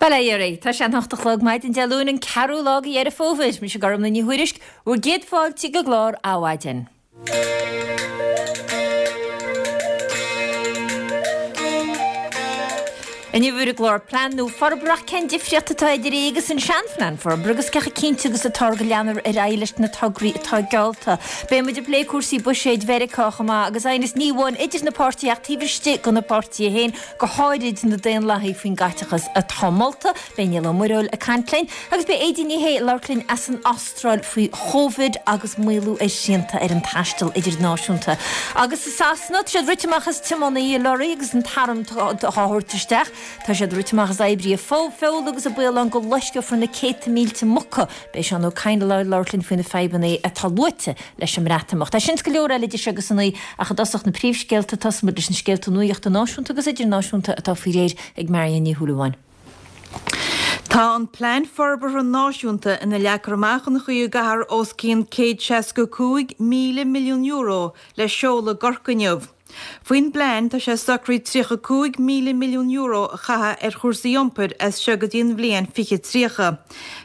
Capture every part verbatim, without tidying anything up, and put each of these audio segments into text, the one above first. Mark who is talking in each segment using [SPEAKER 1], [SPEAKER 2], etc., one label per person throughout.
[SPEAKER 1] Bail ó Dhia oraibh, tá sé an hocht a chlog maidin Dé Luain an ceathrú lá de Dheireadh Fómhair, mise Gormlaith Ní Thuairisg, bhur gcéad fáilte go clár Adhmhaidin. Inniu ar an gclár plean nua forbartha ach cén difríocht atá idir é agus an seanphlean forbartha agus cé chomh cinnte agus atá go leanfar ar aghaidh leis na tograí atá geallta. Beidh muid ag plé cúrsaí buiséid Mheiriceá chomh maith agus aighneas ní amháin idir na páirtithe ach taobh istigh de na páirtithe féin, go háirid na Daonlathaigh faoin gcaiteachas atá molta. Beidh Niall Ó Muirthile ag caint linn agus beidh Aedín Ní Shé ag labhairt linn as an Astráil faoi Chóvid agus maolú ar shrianta ar an taisteal idirnáisiúnta. Agus i Sasana, tá siad rite amach as tiománaithe lorraí agus an t-arm á thabhairt isteach. Tá siad rite amach as oibrithe feola agus an baol ann go loisceofar na céadta mílte muca. Beidh Seán Ó Cadhain ag labhairt linn faoi na fadhbanna atá luaite leis an mBreatimeacht. É sin is go leor eile idir seo agus a naoi ach i dtosach na príomhscéalta, tosóidh muid leis na scéalta nuachta náisiúnta agus idirnáisiúnta atá faoi réir ag Marion Ní Shúilleabháin.
[SPEAKER 2] Tá an Plean Forbartha Náisiúnta ina leagtar amach an chaoi a gcaithfear os cionn céad seasca cúig míle milliún euro le seoladh i gCorcaigh inniu. Faoin bplean, tá sé socraithe tríocha cúig míle milliún euro a chaitheamh ar chúrsaí iompair as seo go dtí an bhliain fiche tríocha.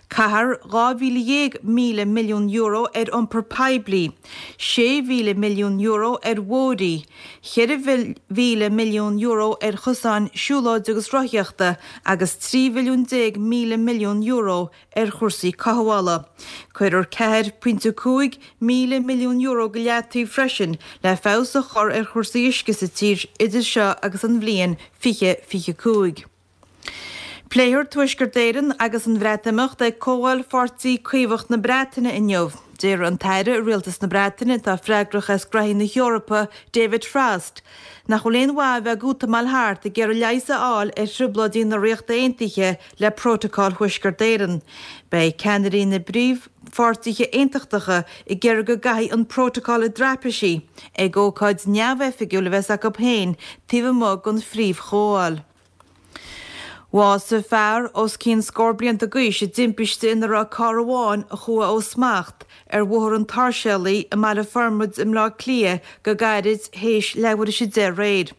[SPEAKER 2] Caithfear dhá mhíle dhéag míle milliún euro ar iompar poiblí, sé mhíle milliún euro ar bhóithrí, cheithre mhíle milliún euro ar chosáin siúlóide agus rothaíochta agus trí mhilliún déag míle milliún euro ar chúrsaí cothabhála. Cuirfear ceathair pointe cúig míle milliún euro go leataobh freisin le feabhas a chur ar chúrsaí uisce sa tír idir seo agus an bhliain fiche fiche cúig. Pléifear Tuaisceart Éireann agus an Bhreatimeacht ag Comhdháil Pháirtí Caomhach na Breataine inniu. Deir an tAire i Rialtas na Breataine atá freagrach as graithí na hEorpa, David Frost, nach bhfuil aon mhaith a bheith ag útamáil thart ag iarraidh leigheas a fháil ar thrioblóidí na Ríochta Aontaithe le Prótacal Thuaisceart Éireann. Beidh ceannairí na bpríomhpháirtithe aontachtacha ag iarraidh go gcaithfí an Prótacal i dtraipisí ag ócáid neamhoifigiúil a bheas acu féin taobh amuigh den phríomhchomhdháil. Bhásaigh fear os cionn scór blianta d'aois i dtimpiste ina raibh carr amháin a chuaigh ó smacht ar Bhóthar an tSáirséalaigh i mBaile Formaid i mBleá Cliath go gairid théis leathuair théis a deich aréir.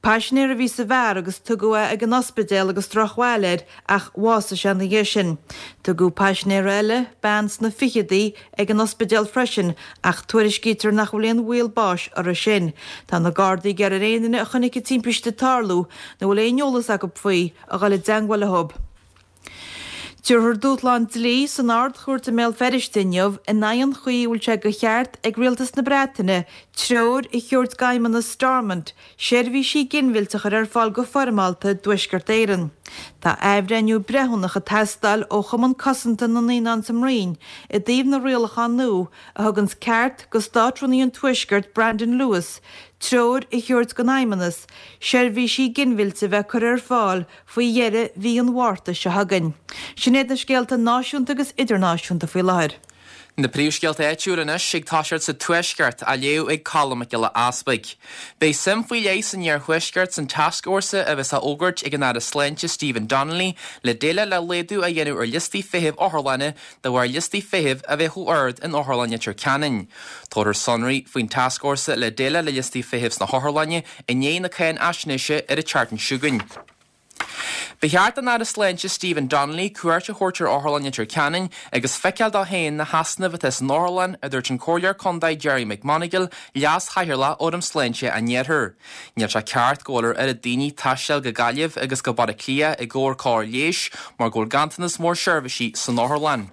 [SPEAKER 2] Paisinéir a bhí sa bhfear agus tugadh é ag an ospidéal agus drochbhail air ach bhásaigh sé ina dhiaidh sin. Tugadh paisinéir eile, bean sna ficheadaí, ag an ospidéal freisin ach tuairiscítear nach bhfuil aon bhaol báis uirthi sin. Tá na Gardaí ag iarraidh ar aon duine a chonaic an timpiste ag tarlú nó a bhfuil aon eolas acu faoi a dhul i dteangmháil leo. Tabharfar dúshlán dlí san Ard-Chúirt i mBéal Feirste inniu in aghaidh an chaoi a bhfuil sé de cheart ag Rialtas na Breataine treoir a thabhairt d'Fheidhmeannas Stormont seirbhísí ginmhillte a chur ar fáil go foirmeálta i dTuaisceart Éireann. Tá athbhreithniú breithiúnach ag teastáil ó Chumann Cosanta na Naíonán sa mBroinn i dtaobh na rialachán nua a thuganns ceart go Státrúnaí an Tuaiscirt Brandon Lewis treoir a thabhairt don Fheidhmeannas seirbhísí ginmhillte a bheith curtha ar fáil faoi dheireadh mhí an Mhárta seo chugainn. Sin iad na scéalta náisiúnta agus idirnáisiúnta faoi láthair.
[SPEAKER 3] Na príomhscéalta áitiúla anois ag toiseacht sa Tuaisceart, á léamh ag Colm Mac Giolla Easpaig. Beidh suim faoi leith san iarthuaisceart san tascfhórsa a bheas á fhógairt ag an Aire Sláinte Stephen Donnelly le déileáil le laghdú a dhéanamh ar liostaí feithimh otharlainne de bharr liostaí feithimh a bheith chomh ard in Otharlann Leitir Ceanainn. Tabharfar sonraí faoin tascfhórsa le déileáil le liostaí feithimh sna hotharlainne i ndiaidh na cáinfhaisnéise ar an tseachtain seo chugainn. Ba cheart don Aire Sláinte Stephen Donnelly cuairt a thabhairt ar Otharlann Leitir Ceanainn agus feiceáil dó féin na heasnaimh atá san otharlann, a dúirt an Comhairleoir Contae Gerry McMonagall, Leas-Chathaoirleach Fhóram Sláinte an Iarthair. Níl sé ceart go bhfuil ar oiread daoine taisteal go Gaillimh agus go Baile Átha Cliath i gcomhair cóir leighis mar go bhfuil ganntanas mór seirbhísí san otharlann.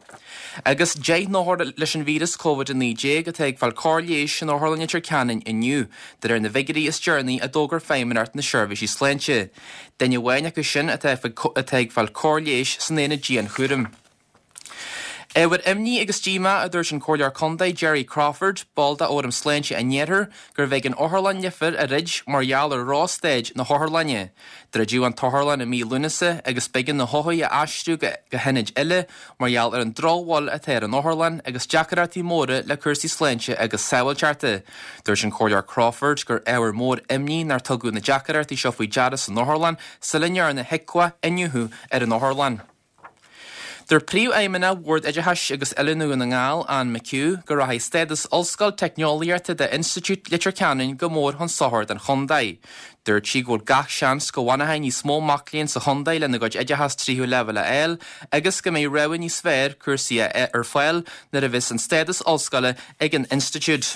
[SPEAKER 3] Agus deich n-othar leis an víreas Covid a naoi déag atá ag fáil cóir leighis in Otharlann Leitir Ceanainn inniu, de réir na bhfigiúirí is deireanaí a d'fhógair Feidhmeannacht na Seirbhísí Sláinte. Duine amháin acu sin atá ag fáil cóir leighis san aonad dianchúraim. Ábhar imní agus díomá, a dúirt an Comhairleoir Contae Gerry Crawford, ball de Fhóram Sláinte an Iarthair, gurbh éigean Otharlann Leifear a dhruid mar gheall ar dhrochstaid na hotharlainne. Druideadh an t-otharlann i mí Lúnasa agus b'éigean na hothair a aistriú go hionaid eile mar gheall ar an drochbhail atá ar an otharlann agus deacaireachtaí móra le cúrsaí sláinte agus sábháilteachta. Dúirt an Comhairleoir Crawford gur ábhar mór imní nár tugadh na deacaireachtaí seo faoi deara san otharlann sula ndearna HIQA iniúchadh ar an otharlann. Dúirt Príomhfheidhmeannach Bhord Oideachais agus Oiliúna Dhún na nGall, Anne McHugh, go rachaidh stádas Ollscoil Teicneolaíochta d'Institiúid Leitir Ceanainn go mór chun sochair don chontae. Dúirt sí go bhfuil gach seans go bhfanfaidh níos mó mac léinn sa chontae lena gcuid oideachas tríú leibhéal a fháil agus go mbeidh rogha níos fearr cúrsaí ar fáil nuair a bheas an stádas ollscoile ag an institiúid.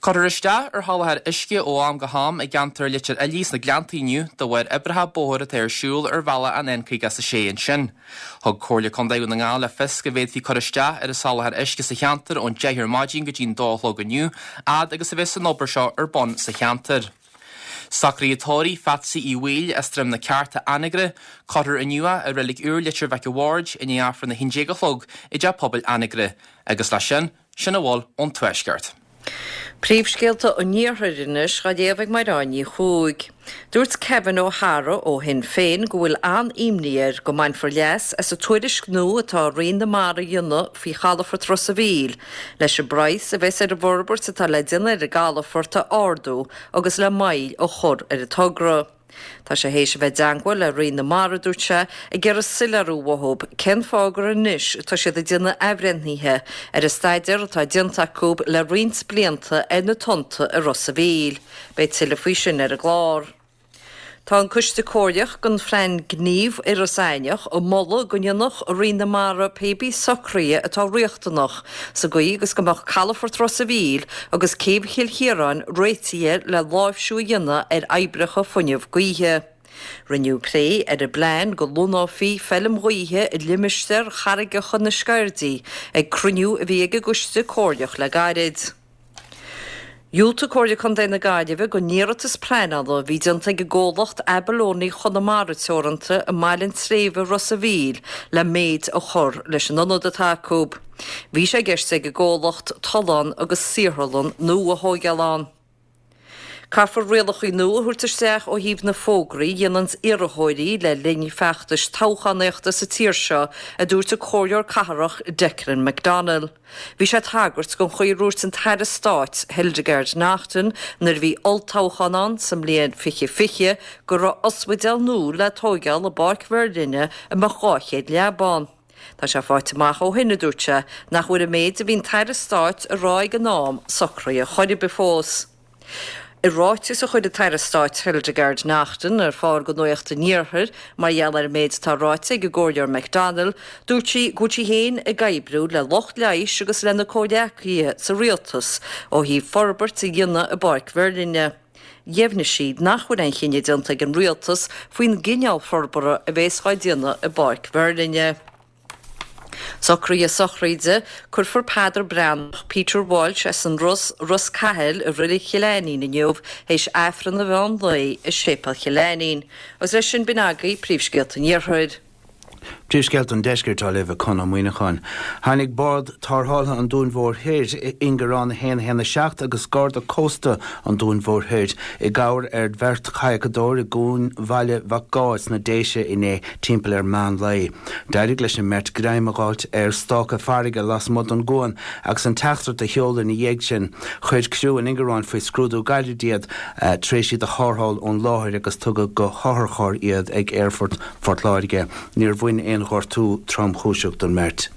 [SPEAKER 3] Cuirfear isteach ar sholáthar uisce ó am go ham i gceantar Leitir Fhiilí sna Gleannta inniu de bharr oibreacha bóthair atá ar siúl ar bhealach an N caoga a sé ansin. Thug Comhairle Contae Dhún na nGall le fios go bhféadfaí cur isteach ar an soláthar uisce sa cheantar ón deich ar maidin go dtí'n dó a chlog inniu, fhad agus a bheas an obair seo ar bun sa cheantar. Socruithe tórraimh Phatsy Uí Bhaoill as Droim na Cearta Anagaire, cuirfear inniu í i Reilig Úr Leitir Mhic a' Bhaird i ndiaidh Aifreann a haon déag a chlog i dTeach Pobail Anagaire. Agus leis sin, sin a bhfuil ón Tuaisceart.
[SPEAKER 4] Príomhscéalta an Iarthair anois á léamh ag Mairéad Ní Chuaig. Dúirt Kevin O'Hara ó Shinn Féin go bhfuil an-imní air go mbainfear leas as an tuairisc nua atá Roinn na Mara a dhéanamh faoi chalafort Ros an Mhíl, leis an bpraghas a bheas ar an bhforbairt atá le déanamh ar an gcalafort a ardú agus le moill a chur ar an togra. Tá sé théis a bheith i dteagmháil le Roinn na Mara, dúirt sé, ag iarraidh soiléiriú uathu cén fáth gur anois atá siad ag déanamh athbhreithnithe ar an staidéar atá déanta acu le roinnt blianta ar na tonnta i Ros an Mhíl. Beidh tuilleadh faoi sin ar an gclár. Tá an Coiste Comhairleach don Phlean Gnímh Iorras Aithneach ag moladh go ndéanfadh Roinn na Mara pé bí socruithe atá riachtanach sa gcaoi agus go mbeadh calafort Ros an Mhíl agus céibh Chill Chiaráin réitithe le láimhsiú a dhéanamh ar oibreacha fuinneamh gaoithe. Rinneadh plé ar an bplean go lonnófaí feilm ghaoithe i limistéar charraigeacha na Sceirdí ag cruinniú a bhí ag an gCoiste Comhairleach le gairid. Dhiúltaigh Comhairle Contae na Gaillimhe don iarratas pleanála a bhí déanta ag an gcomhlacht Abalone Chonamara Teoranta i mBaile an tSléibhe Ros an Mhíl le méid a chur leis an ionad atá acu. Bhí sé i gceist ag an gcomhlacht tollán agus saotharlann nua a thógáil ann. Caithfear rialacha nua a thabhairt isteach ó thaobh na fógraí a dhéananns iarrthóirí le linn feachtais toghchánaíochta sa tír seo, a dúirt an Comhairleoir Cathrach Declan McDonnell. Bhí sé ag tagairt don chaoi a ndúirt an tAire Stáit Hildegarde Naughton nuair a bhí olltoghchán ann sa mbliain fiche fiche go raibh ospidéal nua le tóigeáil i bPáirc Mheirlinne a mbeadh dhá chéad leaba ann. Tá sé faighte amach ó shin, a dúirt sé, nach bhfuil an méid a bhí an tAire Stáit a rá ag an am socraithe chor ar bith fós. I ráiteas a chuir an tAire Stáit Hildegarde Naughton ar fáil do Nuacht an Iarthair mar gheall ar an méid atá ráite ag an gComhairleoir McDonnell, dúirt sí go bhfuil sí féin ag oibriú le lucht leighis agus lena comhghleacaithe sa rialtas ó thaobh forbairt a dhéanamh i bPáirc Mheirlinne. Dheimhnigh sí nach bhfuil aon chinneadh déanta ag an rialtas faoin gcineál forbartha a bheas á déanamh i bPáirc Mheirlinne. Socruithe sochraide, Cuirfear Peadar Breathnach, Peter Walsh as an Ros, Ros Cathail i Reilig Chill Ainnín inniu théis Aifreann an mheán lae i Séipéal Chill Ainnín. Agus leis sin b'in agaibh príomhscéalta an Iarthair.
[SPEAKER 5] Príomhscéalta an Deiscirt á léamh ag Conn Ó Muíneacháin. Tháinig Bord Tarrthála an Dúin Mhóir Thoir, Ingearán a haon a haon a seacht agus Garda Cósta an Dúin Mhóir Thoir i gcabhair ar bheirt chadhcadóir i gCuan Bhaile Mhac Gáth sna Déise inné timpeall ar meán lae. D'éirigh leis an mbeirt greim a fháilt ar stáca farraige lasmuigh den gcuan agus an teachtaireacht a sheoladh ina dhiaidh sin. Chuir criú an Ingearáin faoi scrúdú gairid iad tar éis iad a tharrtháil ón láthair agus tugadh go hotharcharr iad ag Aerfort Phort Láirge. Níor bhain aon ghortú tromchúiseach don mbeirt.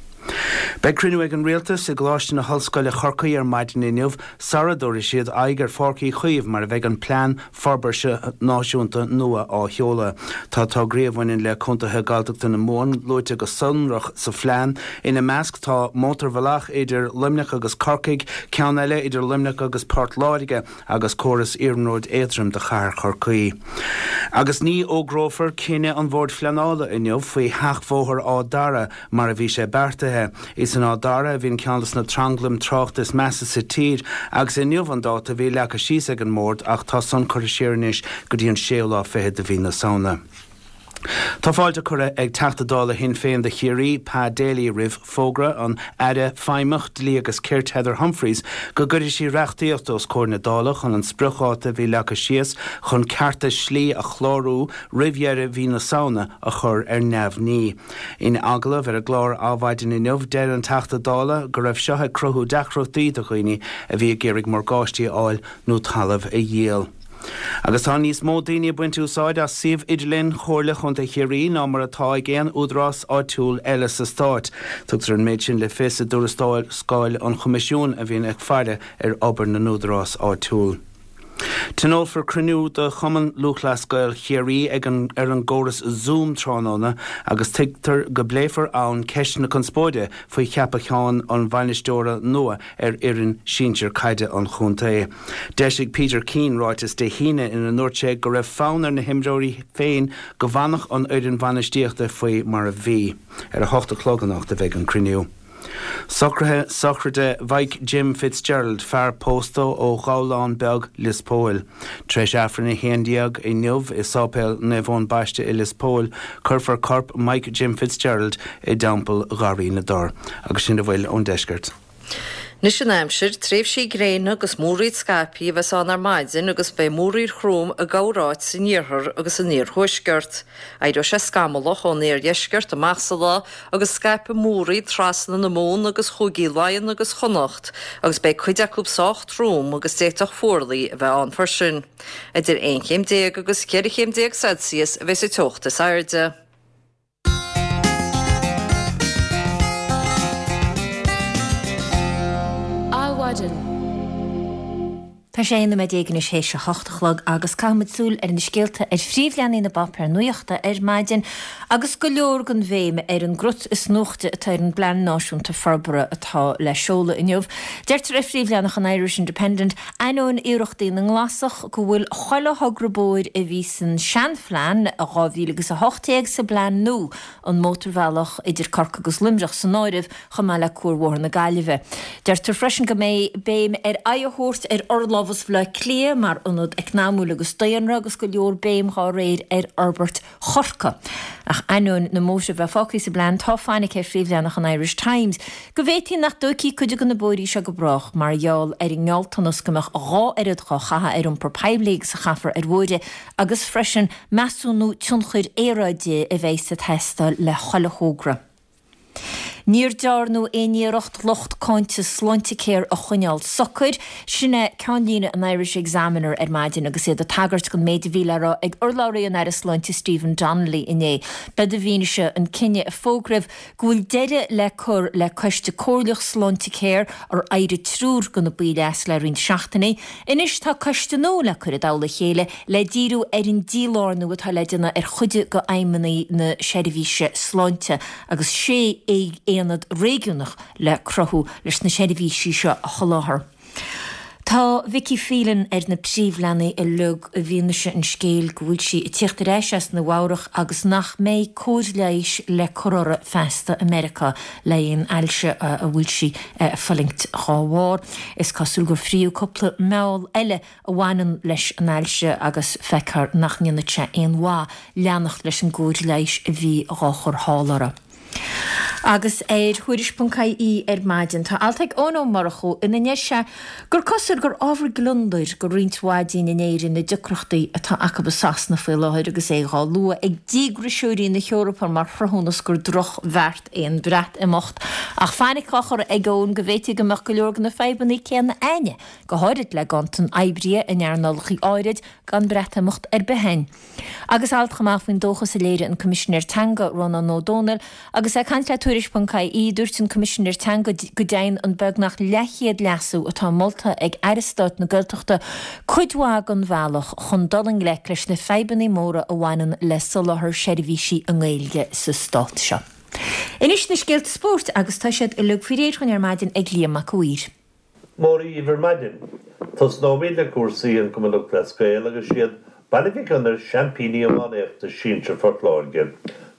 [SPEAKER 5] Beidh cruinniú ag an Rialtas i gColáiste na hOllscoile Chorcaí ar maidin inniu sara dtabharfaidh siad aghaidh ar Pháirc Uí Chaoimh mar a bheidh an Plean Forbartha Náisiúnta nua á sheoladh. Tá tograí a bhaineann le contaetha Gaeltachta na Mumhan luaite go sonrach sa phlean. Ina measc tá mótarbhealach idir Luimneach agus Corcaigh, ceann eile idir Luimneach agus Port Láirge agus córas iarnróid éadroim do chathair Chorcaí. Agus ní fhógrófar cinneadh an Bhoird Phleanála inniu faoi sheachbhóthar Áth Dara mar a bhí sé beartaithe. Is in Áth Dara a bhíonn ceann de na tranglaim tráchta is measa sa tír agus inniu an dáta a bhí leagtha síos ag an mBord ach tá san curtha siar anois go dtí an séú lá fichead de mhí na Samhna. Tá fáilte curtha ag Teachta Dála Shinn Féin do Chiarraí, Pa Daly, roimh fógra an Aire Feidhmeach Dlí agus Cirt Heather Humphreys go gcuirfidh sí reachtaíocht os comhair na Dála chun an spriocdháta a bhí leagtha síos chun cearta slí a chlárú roimh dheireadh mhí na Samhna a chur ar neamhní. In agallamh ar an gclár Adhmhaidin inniu, deir an Teachta Dála go raibh seo ag cruthú deacrachtaí do dhaoine a bhí ag iarraidh morgáistí a fháil nó talamh a dhíol. Agus tá níos mó daoine ag baint úsáid as suíomh idirlín Chomhairle Chontae Chiarraí ná mar atá ag aon údarás áitiúil eile sa stát. Tugtar an méid sin le fios i dtuarascáil an Choimisiúin a bhíonn ag faire ar obair na n-údarás áitiúil. Tionólfar cruinniú de Chumann Lúthchleas Gael Chiarraí ag an ar an gcóras Zoom tráthnóna agus tuigtear go bpléifear ann ceist na conspóide faoi cheapachán an bhainisteora nua ar fhoireann sinsir caide an chontae. D'eisigh Peter Keane ráiteas Dé hAoine ina ndúirt sé go raibh fonn ar na himreoirí féin go bhfanfadh an fhoireann bhainistíochta faoi mar a bhí. Ar a hocht a chlog anocht a bheidh an cruinniú. Socruithe sochraide Mhike Jim Fitzgerald, fear pósta ó Ghabhlán Beag Lios Póil. Tar éis Aifreann a haon déag inniu i Sáipéal Naomh Eoin Baiste i Lios Póil, cuirfear corp Mike Jim Fitzgerald i dTeampall Gharraí na dTor. Agus sin a bhfuil ón deisceart.
[SPEAKER 4] Anois an aimsir, tréimhsí gréine agus múraíl scaipthe a bheas ann ar maidin agus beidh múraíl throm i gcorráit san iarthar agus san iarthuaisceart. Éireoidh sé scamallach ón iardheisceart amach sa lá agus scaipfidh múraíl trasna na Mumhan agus Chúigí Laighean agus Chonnacht agus beidh cuid acu sách trom agus d'fhéadfadh fuarlaigh a bheith ann freisin. Idir aon chéim déag agus ceithre chéim déag Celsius a bheas an teocht is airde.
[SPEAKER 1] Adhmhaidin. Tá sé aon nóiméad déag anois théis a hocht a chlog agus caithfimid súil ar na scéalta ar phríomhleathanaigh na bpáipéar nuachta ar maidin agus go leor den bhéim ar an gcrut is nuachta atá ar an bPlean Náisiúnta Forbartha atá le seoladh inniu. Deirtear ar phríomhleathanach an Irish Independent, ainneoin iarrachtaí na nGlasach, go bhfuil chuile thogra bóthair a bhí san seanphlean dhá mhíle agus a hocht déag sa bplean nua, an mótarbhealach idir Corcaigh agus Luimneach san áireamh, chomh maith le Cuarbhóthar na Gaillimhe. Deirtear freisin go mbeidh béim ar aghaidh a thabhairt ar fhorlámhas Bhaile Átha Cliath mar ionad eacnamúil agus daonra agus go leor béim dhá réir ar fhorbairt Chorcaí. Ach ainneoin na mbóithre a bheith fágtha sa bplean, tá fainic ar phríomhleathanach an Irish Times go bhféadfaí nach dtógfaí cuid de na bóithrí seo go brách mar gheall ar an ngealltanas go mbeadh dhá oiread dhá chaitheamh ar iompar poiblí agus a chaithfear ar bhóithre agus freisin measúnú tionchair aeráide a bheidh ag teastáil le chuile thogra. Níor dearnadh aon iarracht lucht cáinte Sláintecare a choinneáil socair. Sin é ceannlíne an Irish Examiner ar maidin agus iad ag tagairt don méid a bhí le rá ag urlabhraí an Aire Sláinte Stephen Donnelly inné. B'é ba bhfianaise an cinneadh a fógraíodh go bhfuil deireadh le cur le Coiste Comhairleach Sláintecare ar éirigh triúr de na baill as le roinnt seachtainí. Anois tá coiste nua le cur i dtoll a chéile le díriú ar an dílárnú atá le déanamh ar chuid de fheidhmeanna na seirbhíse sláinte agus sé aonad réigiúnach le cruthú leis na seirbhísí seo a sholáthar. Tá Vicky Phelan ar na príomhleathanaigh uilig i bhfianaise an scéil go bhfuil sí ag tíocht ar ais as Nua Eabhrac agus nach mbeidh cóir leighis le cur uirthi feasta i Meiriceá le haghaidh an ailse a bhfuil sí ag fulaingt dhá bharr. Is cosúil gur fríodh cúpla meall eile a bhaineann leis an ailse agus feictear nach ndéanfaidh sé aon mhaith leanacht leis an gcóir leighis a bhí dhá chur thall uirthi. Agus ar Thuairisc ponc ie ar maidin, tá alt ag Eoin Ó Murchú ina ndeir sé gur cosúil gur ábhar gliondair go roinnt mhaith dínn in Éirinn na deacrachtaí atá acu i Sasana faoi láthair agus é dhá lua ag díograiseoirí na hEorpa mar chruthúnas gur drochbheart é an Breatimeacht. Ach fainic á chur ag Eoin go bhféadfaí go mbeadh go leor de na fadhbanna céanna a'inne, go háirid le ganntan oibrithe in earnálacha áirid, gan Breatimeacht ar bith a'inn. Agus alt chomh maith faoin dóchas a léirigh an Coimisinéir Teanga, Rónán Ó Domhnaill, agus é ag caint le Tuairisc ponc ie, dúirt an Coimisinéir Teanga go dtéann an beagnach leathchéad leasú atá molta ag Aire Stáit na Gaeltachta cuid mhaith den bhealach chun dul i ngleic leis na fadhbanna móra a bhaineann le soláthar seirbhísí i nGaeilge sa stát seo. Anois na scéalta spóirt agus tá siad uilig faoi réir dhúinn ar maidin ag Liam Mac a' Mhaoir.
[SPEAKER 6] Móra dhaoibh ar maidin. Tosnóimid le cúrsaí an Chumann Lúthchleas Gael agus siad Baile Mhic Gonair seaimpíní iománaíochta sinsir Phort Láirge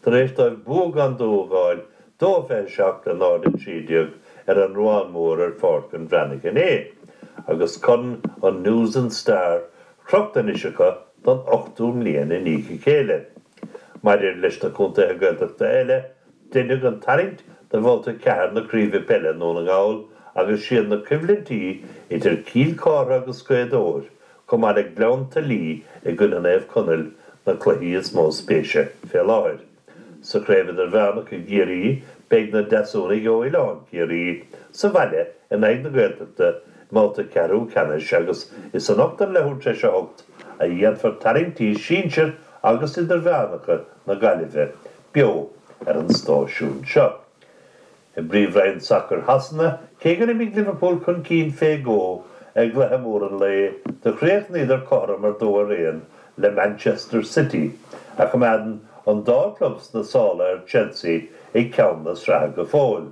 [SPEAKER 6] tar éis dóibh bua gan dua a fháil, dó a fiche seacht le náid a trí déag, ar an Ruán Mór ar Pháirc an Bhreathnaigh inné, agus corn an News and Star crochta anois acu don ochtú mbliain i ndiaidh a chéile. Maidir leis na contaetha Gaeltachta eile, deineadh an tarraingt do Bhabhta a ceathair na Craoibhe Peile i nDún na nGall agus siad na coimhlintí idir Cill Chartha agus Gaoth Dobhair chomh maith le Gleann tSúilí i gcoinne Naomh Conaill na cluichí is mó spéise fé láthair. Sa Chraobh Idirmheánach i gCiarraí beidh na Deasúnaigh ó Oileán Ciarraí sa bhaile in aghaidh na Gaeltachta i mbabhta ceathrú ceannais agus is anocht ar leathuair tar éis a hocht a dhéanfar tarraingtí sinsir agus idirmheánacha na Gaillimhe beo ar an stáisiún seo. I bPríomhroinn Sacair Shasana, cé gur imigh Liverpool chun cinn fé dhó i gcluiche mór an lae, do chríochnaíodar cothrom ar dó ar aon le Manchester City, a choimeádann an dá chlub sna sála ar Chelsea ag ceann na sraithe go fóill.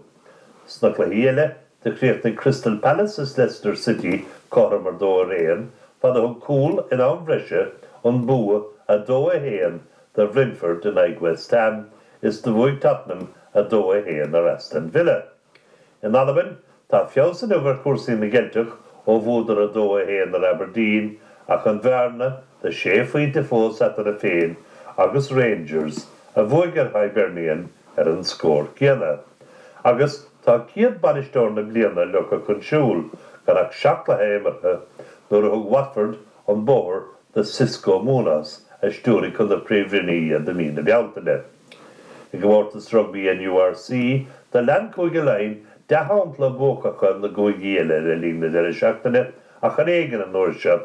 [SPEAKER 6] Sna cluichí eile, do chríochnaigh Crystal Palace is Leicester City cothrom ar dó ar aon, fad a thug cúl in am bhreise an bua a dó a haon do Bhrentford in aghaidh West Ham is do bhuaigh Tottenham a dó a haon ar Aston Villa. In Albain, tá feabhas inniu ar chúrsaí na gCeilteach ó bhuadar a dó a haon ar Aberdeen ach an bhearna de sé phointe fós eatarthu féin agus Rangers, a bhuaigh ar Hibernian ar an scór céanna. Agus tá céad bainisteoir na bliana leagtha chun siúil gan ach seacht gcluiche imeartha nuair a thug Watford an bóthar do Xisco Munoz a stiúraigh chun na Príomhroinne iad i mí na Bealtaine. I gcomórtas rugbaí an URC, do lean Cúige Laighean dea-shampla buacacha na gcúigí eile le linn na deireadh seachtaine ach ar éigean an uair seo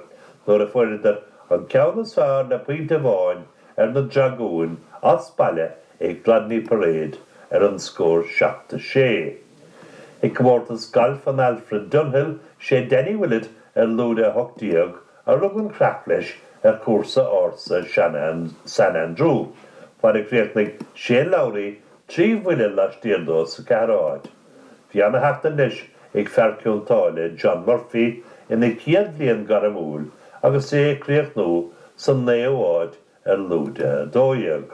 [SPEAKER 6] nuair a fuaireadar an ceann is fearr le pointe amháin ar na Dragúin as baile ag Gladney Parade ar an scór seacht a sé. I gcomórtas gailf an Alfred Dunhill, sé Danny Willett ar lúide a hocht déag a rug an chreach leis ar chúrsa ársa San Andrew, fad a chríochnaigh Shane Lowry trí bhuille laistiar dó sa ceathrú háit. Bhí ana-sheachtain leis ag fear Cionn tSáile, John Murphy, ina chéad bhliain gairmiúil agus é ag críochnú sa naoú háit ar lúide a dó dhéag.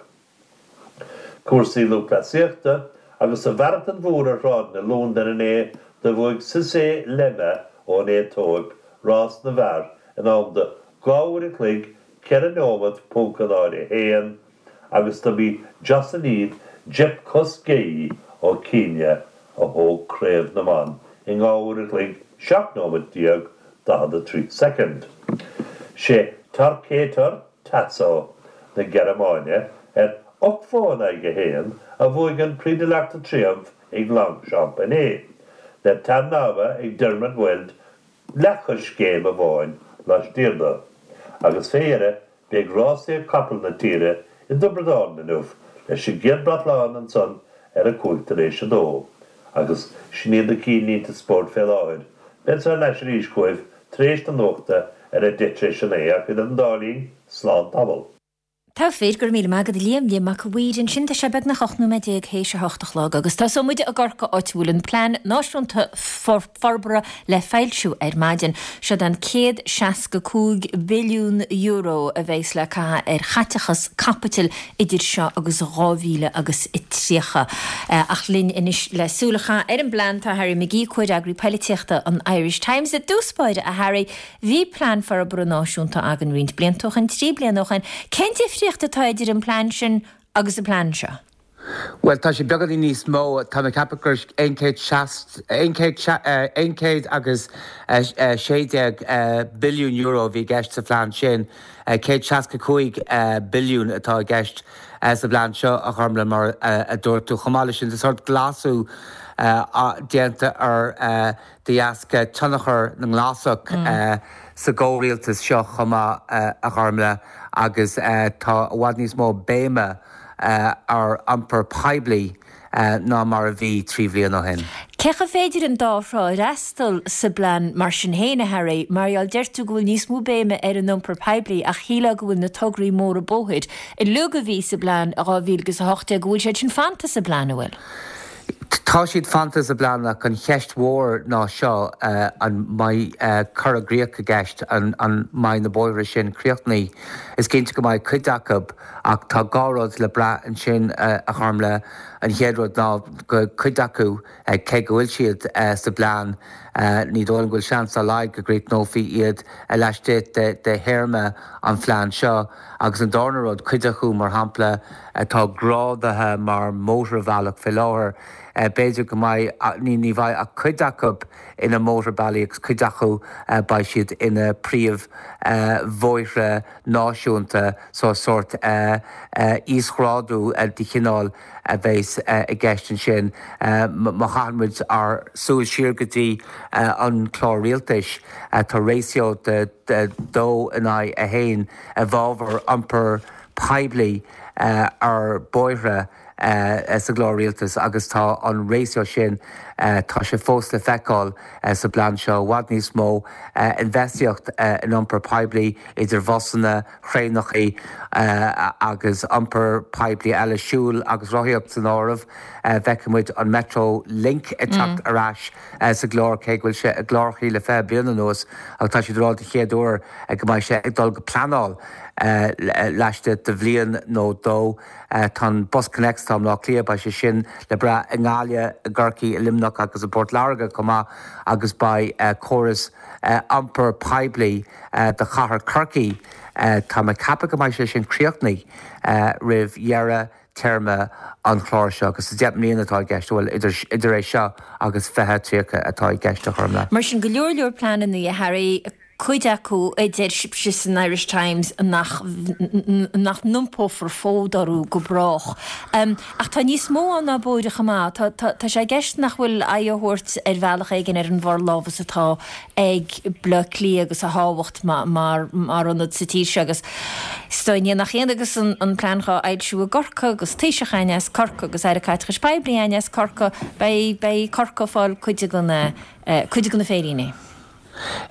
[SPEAKER 6] Cúrsaí lúthchleasaíochta agus sa Mharatón Mhór ar shráideanna Londan inné do bhuaigh Sisay Lemma ón Aetóip rás na bhfear in am de dhá uair a chloig ceithre nóiméad ponc a náid a haon agus dob í Joyciline Jepkosgei ó Kenya a thóg craobh na mban i ndhá uair a chloig seacht nóiméad déag daichead a trí soicind. Sé Torquator Tasso na Gearmáine ar ocht bhó in aghaidh a haon a bhuaigh an Prix de l'Arc de Triomphe ag Longchamp inné, le Tarnawa ag Dermot Weld leathchoiscéim amháin laistiar dó. Agus fé dheireadh, beidh rásaíocht capall na tíre i dTiobraid Árann inniu leis an gcéad briotlán ansan ar a cúig tar éis a dó. Agus sin iad na cinnlínte spóirt fé láthair. Beadsa thar n-ais arís chugaibh tar éis na nuachta ar a deich tar éis a naoi ach idir an dá linn, slán tamall.
[SPEAKER 1] Tá fíor, go raibh míle maith agat a Liam, Liam Mac a' Mhaoir ansin, tá sé beagnach ocht nóiméad déag théis a hocht a chlog agus tosóidh muid i gCorcaigh áit a bhfuil an Plean Náisiúnta Forbartha le foilsiú ar maidin. Seod an céad seasca cúig billiún euro a bheas le caitheamh ar chaiteachas caipitil idir seo agus dhá mhíle agus tríocha. Ach linn anois le súil a chaitheamh ar an bplean tá Harry McGee, Comhfhreagraí Poilitíochta an Irish Times. I dtús báire, a Harry, bhí Plean Forbartha Náisiúnta againn roinnt blianta ó shin, trí bliana ó shin. Cén difríocht atá idir an plean sin agus an plean seo?
[SPEAKER 7] Bhuel, tá sé beagáinín níos mó, tá mé ag ceapadh gur aon chéad seast, aon chéad aon chéad agus sé déag billiún euro a bhí i gceist sa phlean sin. Céad seasca cúig billiún atá i gceist sa bplean seo, a Ghormlaith, mar a dúirt tú. Chomh maith leis sin, tá sórt glasú déanta air de dheasca tionchar na nGlasach sa gcomhrialtas seo chomh maith, a Ghormlaith, agus tá i bhfad níos mó béime ar iompar poiblí ná mar a bhí trí bhliain ó shin.
[SPEAKER 1] Cé chomh féidir an dá thrá a fhreastal sa bplean mar sin féin, a Harry? Mar gheall, deir tú go bhfuil níos mó béime ar an iompar poiblí ach shílfeá go bhfuil na tograí móra bóthair uilig a bhí sa bplean i dhá mhíle agus a hocht déag, go bhfuil siad sin fanta sa bplean, an bhfuil?
[SPEAKER 7] Tá siad fanta sa bplean ach an cheist mhór ná seo, an mbeidh cur i gcrích i gceist, an mbeidh na bóithre sin críochnaithe? Is cinnte go mbeidh cuid acu ach tá dhá rud le brath ansin, a Ghormlaith. An chéad rud ná go cuid acu, cé go bhfuil siad sa bplean, ní dóigh liom go bhfuil seans dá laghad go gcríochnófaí iad laistigh de théarma an phlean seo. Agus an darna rud, cuid acu, mar shampla, atá grádaithe mar mótarbhealach fé láthair, B'fhéidir go mbeidh, ní ní bheidh ach cuid acu ina mótarbealaí agus cuid acu beidh siad ina príomh bhóithre náisiúnta so sórt íosghrádú de chineál a bheas i gceist ansin. Má chaitheann muid ár súil siar go dtí an clár rialtais, tá ratio de dó in aghaidh a haon i bhfabhar iompar poiblí ar bóithre sa gclár rialtais agus tá an ratio sin, tá sé fós le feiceáil sa bplean seo, i bhfad níos mó infheistíocht in iompar poiblí idir bhusanna, thraenachaí agus iompar poiblí eile, siúl agus rothaíocht san áireamh. Feicfidh muid an Metro Link ag teacht ar ais sa gclár, cé go bhfuil sé i gclárachaí le fiche bliain anuas, ach tá siad ag rá den chéad uair go mbeidh sé ag dul go pleanáil laistigh de bhliain nó dó. Tá an BusConnects atá i mBleá Cliath, beidh sé sin le brath i nGaillimh, i gCorcaigh, i Luimneach agus i bPort Láirge chomh maith agus beidh córas iompair poiblí do chathair Chorcaí, tá mé ag ceapadh go mbeidh sé sin críochnaithe roimh dheireadh téarma an chláir seo agus deich mbliana atá i gceist, bhuel idir é seo agus fiche tríocha atá i gceist a Ghormfhlaith.
[SPEAKER 1] Mar sin, go leor leor pleananna, a Harry, cuid acu a deir sibhse san Irish Times nach nach n-iompófar fód orthu go brách. Ach tá níos mó ann ná bóithre chomh maith. Tá tá tá sé i gceist nach bhfuil aghaidh á thabhairt ar bhealach éigin ar an bhforlámhas atá ag Bleá Cliath agus a thábhacht mar mar mar ionad sa tír seo agus is dóigh ní nach ionadh agus an an plean dhá fhoilsiú i gCorcaigh agus Taoiseach againn as Corcaigh agus Aire Caiteachais Poiblí againn as Corcaigh beidh beidh Corcaigh ag fáil cuid de na cuid de na féiríní.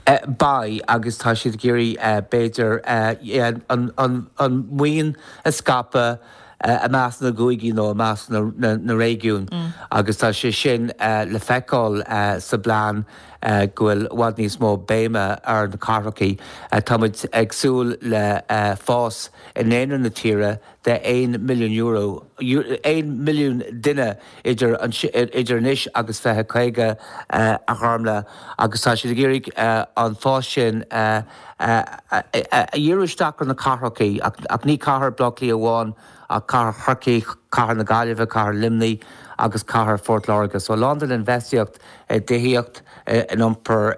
[SPEAKER 7] Beidh, agus tá siad ag iarraidh, b'fhéidir, an mhaoin a scaipeadh i measc na gcúigí nó i measc na réigiún agus tá sé sin le feiceáil sa bplean go bhfuil i bhfad níos mó béime ar na cathrachaí. Tá muid ag súil le fás i ndaonra na tíre de aon milliún euro, aon milliún duine idir idir anois agus fiche caoga a Ghormfhlaith agus tá siad ag iarraidh an fás sin a dhíriú isteach ar na cathrachaí ach ní cathair Bhaile Átha Cliath amháin ach cathair Chorcaí, cathair na Gaillimhe, cathair Luimnigh agus cathair Phort Láirge. So a lán den infheistíocht i dtithíocht, in iompar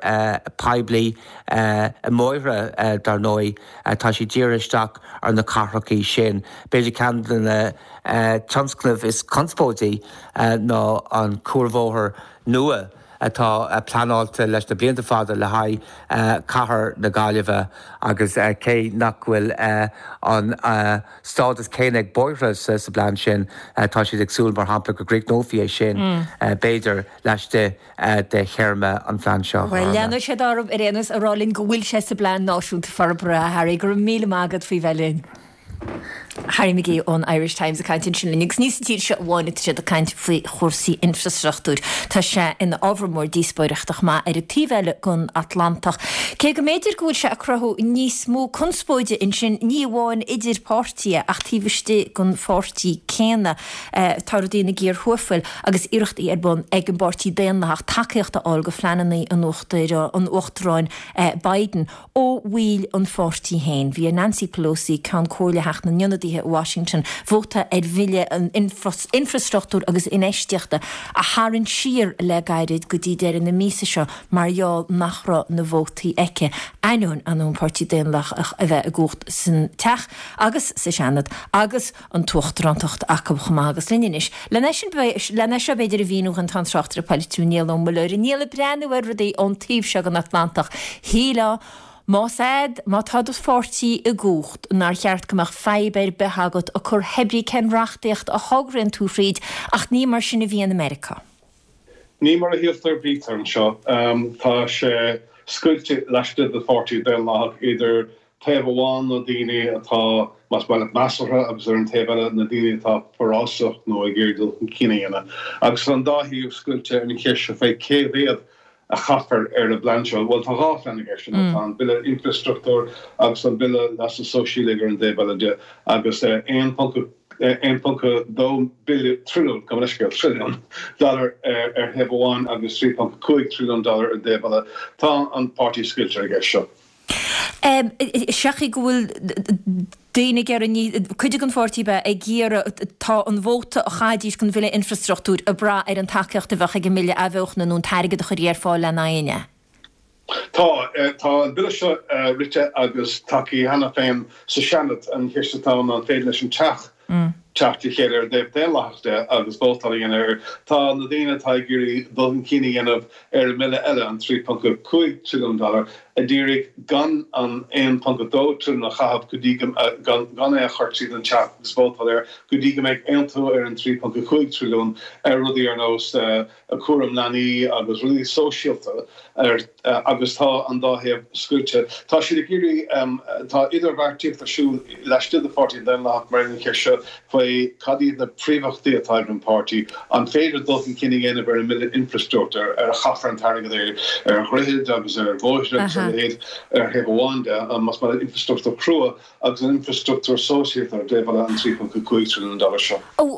[SPEAKER 7] poiblí, i mbóithre dar ndóigh, tá sí dírithe isteach ar na cathrachaí sin. B'fhéidir ceann de na tionscnaimh is conspóidí ná an cuarbhóthar nua atá pleanáilte leis na blianta fada le haghaidh cathair na Gaillimhe agus cé nach bhfuil an stádas céanna ag bóithre sa bplean sin, tá siad ag súil, mar shampla, go gcríochnófaí é sin, b'fhéidir, laistigh de théarma an phlean seo.
[SPEAKER 1] Bhuel, leanfaidh siad orthu ar aon nós a rá linn go bhfuil sé sa bPlean Náisiúnta Forbartha, a Harry. Go raibh míle maith agat faoi bheith linn. Harry McGee ón Irish Times ag caint ansin linn agus ní sa tír seo amháin atá siad ag caint faoi chúrsaí infreastruchtúir. Tá sé ina ábhar mór díospóireachta chomh maith ar an taobh eile den Atlantach. Cé go mb'fhéidir go bhfuil sé ag cruthú níos mó conspóide ansin, ní amháin idir páirtithe ach taobh istigh den pháirtí céanna. Tá rudaí ina gcíor thuathail agus iarrachtaí ar bun ag an bPáirtí Daonlathach tacaíocht a fháil do phleananna an Uachtaráin Biden. Ó bhaill an pháirtí féin, bhí ar Nancy Pelosi, Ceann Comhairle Theach na nIonadaithe i Washington, vóta ar bhille an infreastruchtúir agus infheistíochta a tharraingt siar le gairid go dtí deireadh na míosa seo mar gheall nach raibh na vótaí aici, ainneoin an Páirtí Daonlathach a bheith i gcumhacht san Teach agus sa Seanad agus an t-uachtarántacht acu chomh maith. Agus linn anois lena sin, lena seo b'fhéidir a mhíniú dhúinn tá an tráchtaire polaitiúil Niall Ó Muilleoir. Niall ag breathnú ar rudaí ón taobh seo den Atlantach, shílfeá, más ea, má tá do pháirtí i gcumhacht, nár cheart go mbeadh fadhb ar bith agat ag cur pé brí cén reachtaíocht a thograíonn tú thríd, ach ní mar sin a bhíonn i Meiriceá.
[SPEAKER 8] Ní mar a shíltear a bhítear anseo. Tá sé scoilte laistigh de Pháirtí Daonlathach idir taobh amháin na daoine atá, más maith leat, measartha agus ar an taobh eile na daoine atá forásach nó ag iarraidh dul chun cinn a dhéanamh. Agus tá an dá thaobh scoilte ar an cheist seo fé cé mhéad a chaithfear ar an bplean seo. Bhuel, tá dhá phlean i gceist, tá an Bille Infreastruchtúir agus an Bille Leasa Sóisialaigh ar an dtaobh eile de, agus aon ponc aon ponc dó billiún, trilliún, gabh mo leithscéal, trilliún dollar ar thaobh amháin agus trí ponc cúig trilliún dollar ar an dtaobh eile. Tá an páirtí scoilte ar an gceist seo.
[SPEAKER 1] Seachas go bhfuil daoine ag iarraidh, cuid den pháirtí bheith ag iarraidh, tá an vóta a chaithfidís don bhille infrastruchtúir ag brath ar an tacaíocht a bheadh ag an mbille athbheochana nó an t-airgead a chuirfí ar fáil lena aghaidh.
[SPEAKER 8] Tá, tá an bille seo rite agus tacaithe cheana féin sa Seanad. An cheist atá ann ná an féidir leis an Teach teacht le chéile ar an dtaobh daonlathach de agus vótáil a dhéanamh air. Tá na daoine atá ag iarraidh dul chun cinn a dhéanamh ar an mbille eile, an trí ponc a cúig trilliún dollar, a d'iarraidh gan an aon ponc a dó trilliún a chaitheamh go dtí go, gan, gan é a chur tríd an Teach agus vótáil air go dtí go mbeidh aontú ar an trí ponc a cúig trilliún ar rudaí ar nós cúram leanaí agus rudaí sóisialta ar agus tá an dá thaobh scoilte. Tá siad ag iarraidh, tá idirbheartaíocht ar siúl laistigh de Pháirtí an Daonlathach mar an cheist seo faoi cad iad na príomhachtaí atá ag an bpáirtí, an féidir dul chun cinn a dhéanamh ar an mbille infreastruchtúir, ar a chaithfear an t-airgead ar ar dhroichid agus ar bhóithre agus a leithéid ar thaobh amháin de, más maith leat infreastruchtúr crua agus an infreastruchtúr sóisialta ar an dtaobh eile, an trí ponc cúig trilliún dollar seo.
[SPEAKER 1] An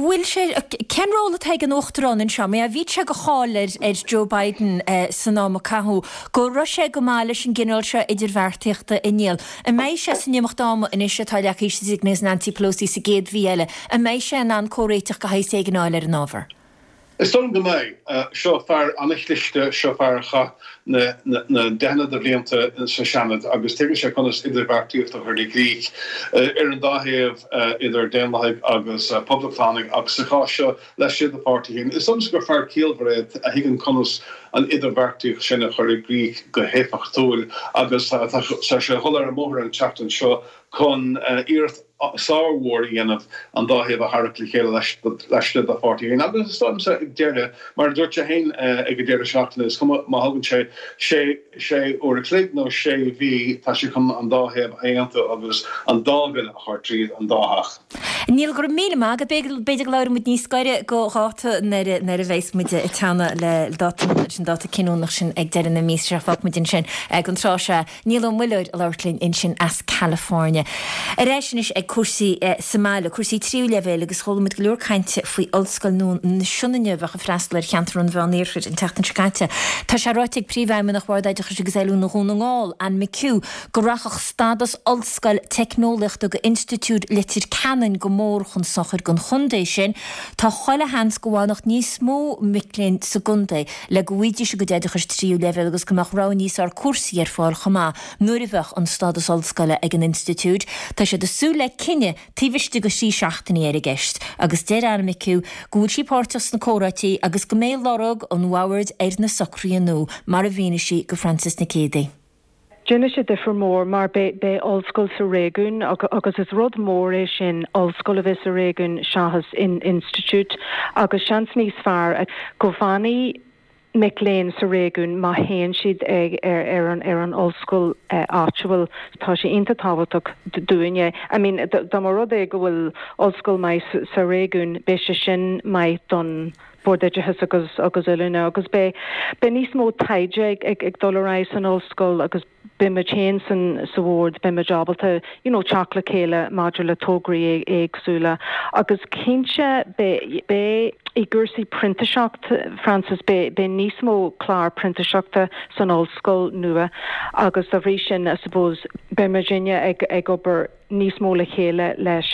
[SPEAKER 1] bhfuil sé, cén ról atá ag an Uachtarán anseo? Mar bhí sé de cháil ar ar Joe Biden san am a caitheadh go raibh sé go maith leis an gcineál seo idirbheartaíochta a Niall. An mbeidh sé san imeacht ama anois atá leagtha síos ag Nancy Pelosi sa gcéad mhí eile, an mbeidh sé in ann comhréiteach de shaghas éigin a fháil ar an ábhar?
[SPEAKER 8] Is dóigh liom go mbeidh. Seo fear an-chliste, seo fear a chaith na deicheanna de bhlianta sa Seanad agus tuigeann sé conas idirbheartaíocht a chur i gcrích ar an dá thaobh, idir Daonlathaigh agus Poblachtánaigh ach sa chás seo laistigh dá pháirtí féin. Is dóigh liomsa gur fear ciallmhar é a thuigeann conas an idirbheartaíocht sin a chur i gcrích go héifeachtúil agus tá sé ag dul ar an mbóthar an tseachtain seo chun iarracht sármhór a dhéanamh an dá thaobh a tharrac le chéile laistigh dá pháirtí féin. Agus is dóigh liomsa ag deireadh, mar a dúirt sé féin ag an deireadh seachtaine, is cuma má thugann sé sé sé uair a chloig nó sé mhí, tá sé chun an dá thaobh a aontú agus an dá bhille a chur tríd an dá theach.
[SPEAKER 1] Niall, go raibh míle maith agat. B'fhéidir go labhróidh muid níos gaire do dháta nuair a bheas muid ag teannadh le dáta leis an dáta cinniúnach sin ag deireadh na míosa seo. Fágfaidh muid ansin don tráth seo. Niall Ó Muilleoir ag labhairt linn ansin as California. Ar ais anois ag cúrsaí sa mbaile, cúrsaí tríú leibhéil agus chuala muid go leor cainte faoi Ollscoil nua na Sionainne a bheadh ag freastal ar cheantar an Mheán-Iarthair an tseachtain seo caite. Tá sé ráite ag Príomhfheidhmeannach Bhord Oideachais agus Oiliúna Dhún na nGall, Anne McHugh, go rachadh stádas ollscoil teicneolaíochta go Institiúid Leitir Ceanainn go mór chun sochair don chontae sin. Tá chuile sheans go bhfanfadh níos mó mic léinn sa gcontae le go bhfaighidís a gcuid oideachais tríú leibhéal agus go mbeadh rogha níos fearr cúrsaí ar fáil chomh maith nuair a bheadh an stádas ollscoile ag an institiúid. Tá siad ag súil le cinneadh taobh istigh de thrí seachtainí ar an gceist agus deir Anne McHugh go bhfuil sí páirteach sna comhráití agus go mbeidh lorg an bhoird ar na socruithe nua, mar a mhínigh sí go Frances Nic Géadaigh.
[SPEAKER 9] Déanfaidh sé difear mór mar beidh ollscoil sa réigiún agus is rud mór é sin ollscoil a bheith sa réigiún seachas institiúid agus seans níos fearr go bhfanfaidh mic léinn sa réigiún má théann siad ag ar an ar an ollscoil áitiúil. Tá sé iontach tábhachtach dúinne. I mean dá mba rud é go bhfuil ollscoil maith sa réigiún beidh sé sin maith don Bord Oideachais agus agus Oiliúna agus beidh beidh níos mó taighde ag ag ag dul ar aghaidh san ollscoil agus beidh muid féin san sa bhord beidh muid ábalta you know teacht le chéile maidir le tograí éagsúla agus cinnte beidh beidh i gcúrsaí printiseacht Frances beidh beidh níos mó clár printiseachta san ollscoil nua agus dá bhrí sin I suppose beidh muidinne ag ag obair níos mó le chéile leis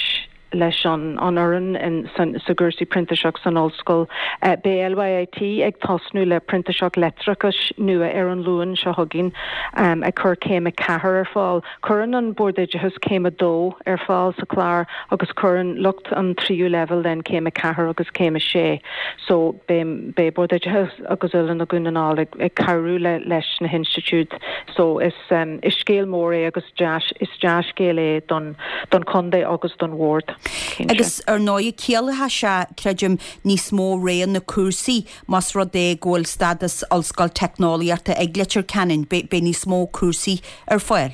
[SPEAKER 9] leis an an fhoireann sa gcúrsaí printiseacht san ollscoil. Beidh LYIT ag tosnú le printiseacht leictreachais nua ar an Luan seo chugainn, ag cur céim a ceathair ar fáil. Cuireann an Bord Oideachais céim a dó ar fáil sa chlár agus cuireann lucht an tríú leibhéal then céim a ceathair agus céim a sé. So beidh beidh Bord Oideachais agus Oiliúna Dhún na nGall ag ag cabhrú le leis na hinstitiúid. So is is scéal mór é agus deas is dea-scéal é don don chontae agus don bhord, cinnte.
[SPEAKER 10] Agus ar ndóigh ciallóidh sé, creidim, níos mó roghanna cúrsaí más rud é go bhfuil stádas ollscoil teicneolaíochta ag Leitir Ceanainn, beidh níos mó cúrsaí ar fáil.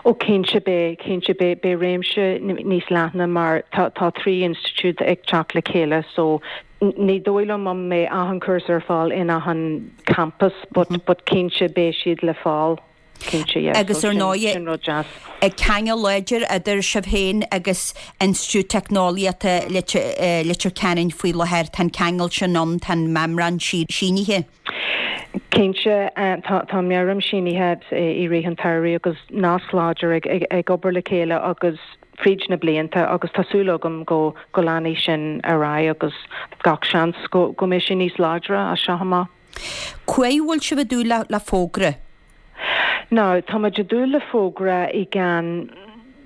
[SPEAKER 9] Ó cinnte beidh, cinnte beidh, beidh réimse níos leithne mar tá tá trí institiúid ag teacht le chéile so ní dóigh liom an mbeidh achan cúrsa ar fáil in achan campus but but cinnte beidh siad le fáil. Cinnte, yeah.
[SPEAKER 10] Agus ar ndóigh,
[SPEAKER 9] sin rud deas.
[SPEAKER 10] Ceangal láidir idir sibh féin agus Institiúid Teicneolaíochta Leitir Ceanainn faoi láthair. Tá an ceangal sin ann, tá an meamram sínithe.
[SPEAKER 9] Cinnte, tá tá meabhrán sínithe i rith an tsamhraidh agus nasc láidir ag ag ag obair le chéile agus fríd na blianta agus tá súil agam go go leanfaidh sin ar aghaidh agus gach seans go go mbeidh sé níos láidre as seo amach.
[SPEAKER 10] Cá bhfuil sibh ag dúil le le fógra?
[SPEAKER 9] Now, tá muid ag dúil le fógra i gceann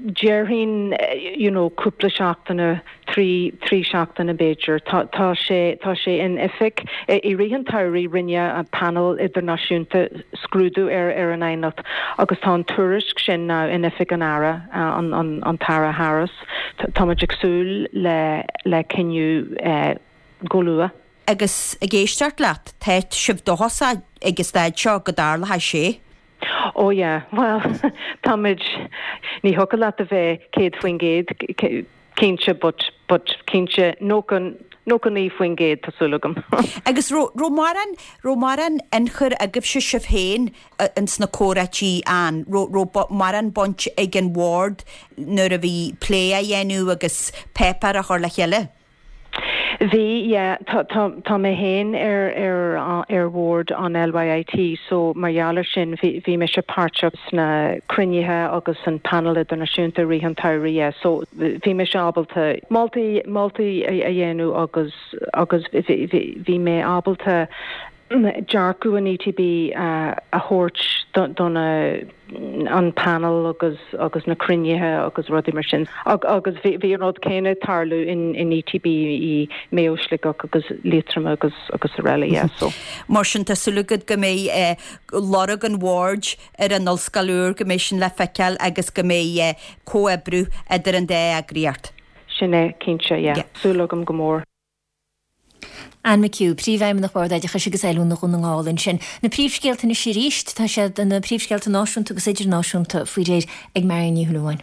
[SPEAKER 9] déarfainn you know cúpla seachtaine, trí trí seachtaine b'fhéidir. Tá tá sé tá sé in oifig i rith an tsamhraidh rinne an panel idirnáisiúnta scrúdú ar ar an aighneacht agus tá an tuairisc sin now in oifig an Aire an an an tAire Harris. Tá muid ag súil le le cinneadh eh, go luath.
[SPEAKER 10] Agus ag éisteacht leat, tá sibh dóchasach ag an staid seo go dtarlóidh sé.
[SPEAKER 9] Oh yeah, well táimid ní thiocfadh leat a bheith céad faoin gcéad cinnte but but cinnte nócha nócha naoi faoin gcéad tá súil agam.
[SPEAKER 10] Agus raibh mórán raibh mórán ionchur agaibhse sibh féin ins na comhráití an raibh mórán baint ag an bhord nuair a bhí plé á dhéanamh agus páipéar á chur le chéile?
[SPEAKER 9] Bhí yeah, tá tá tá mé féin ar ar ar bhord an LYIT so mar gheall air sin bhí bhí mise páirteach sna cruinnithe agus an panel idirnáisiúnta rith an tsamhraidh yeah, so bhí mise ábalta moltaí moltaí a a dhéanamh agus agus bhí bhí bhí mé ábalta dearcadh an ETB uh, a thabhairt do do na an panel agus agus na cruinnithe agus rudaí mar sin. Ag, agus bhí bhí an rud céanna ag tarlú in in ETB i Maigh Eo Sligeach agus Liatroim agus agus araile yeah, so.
[SPEAKER 10] Mar sin tá súil agat go mbeidh eh, lorg an bhoird ar an ollscoil úr go mbeidh sin le feiceáil agus go mbeidh eh, comhoibriú idir an dá eagraíocht.
[SPEAKER 9] Sin é cinnte yeah. Yeah. Súil agam go mór.
[SPEAKER 1] Anne McHugh, Príomhfheidhmeannach Bhord Oideachais agus Oiliúna Dhún na nGall ansin. Na príomhscéalta anois arís, tá siad na príomhscéalta náisiúnta agus idirnáisiúnta faoi réir ag Marion Ní Shúilleabháin.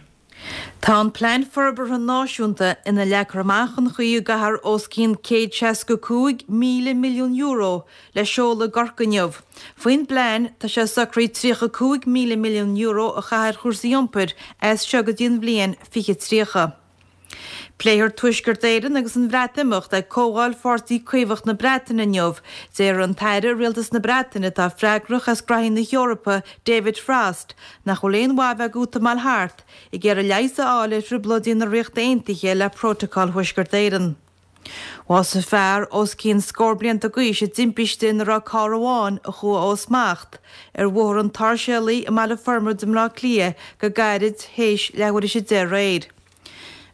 [SPEAKER 2] Tá an Plean Forbartha Náisiúnta ina leagtar amach an chaoi a gcaithfear os cionn céad seasca cúig míle milliún euro le seoladh i gCorcaigh inniu. Faoin bplean tá sé socraithe tríocha cúig míle milliún euro a chaitheamh ar chúrsaí iompair as seo go dtí an bhliain fiche tríocha. Pléifear Tuaisceart Éireann agus an Bhreatimeacht ag Comhdháil Pháirtí Caomhach na Breataine inniu, deir an tAire Rialtas na Breataine atá freagrach as gnoithí na hEorpa David Frost, nach bhfuil aon mhaith bheith ag útamáil thart ag iarraidh leigheas a fháil ar thrioblóidí na Ríochta Aontaithe le Prótacal Thuaisceart Éireann. Bhásaigh fear os cionn scór blianta d'aois i dtimpiste ina raibh carr amháin a chuaigh ó smacht ar Bhóthar an tSáirséalaigh i mBaile Formaid i mBleá Cliath go gairid théis leathuair théis a deich aréir.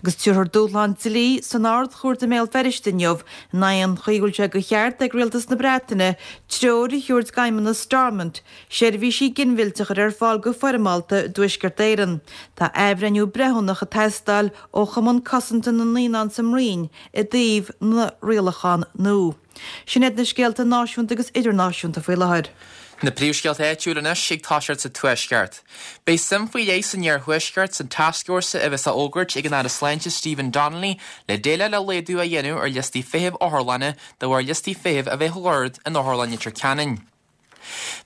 [SPEAKER 2] Agus tabharfar dúshlán dlí san Ard-Chúirt i mBéal Feirste inniu in aghaidh an chaoi go bhfuil sé de cheart ag Rialtas na Breataine treoir a thabhairt d'Fheidhmeannas Stormont, seirbhísí ginmhillte a chur ar fáil go foirmeálta i dTuaisceart Éireann. Tá athbhreithniú breithiúnach ag teastáil ó Chumann Cosanta na Naíonán sa mBroinn i dtaobh na rialachán nua. Sin iad na scéalta náisiúnta agus idirnáisiúnta faoi láthair.
[SPEAKER 3] Na príomhscéalta áitiúla anois ag toiseacht sa Tuaisceart. Beidh suim faoi leith san iarthuaisceart san tascfhórsa a bheas á fhógairt ag an Aire Sláinte Stephen Donnelly le déileáil le laghdú a dhéanamh ar liostaí feithimh otharlainne de bharr liostaí feithimh a bheith ard in Otharlann Leitir Ceanainn.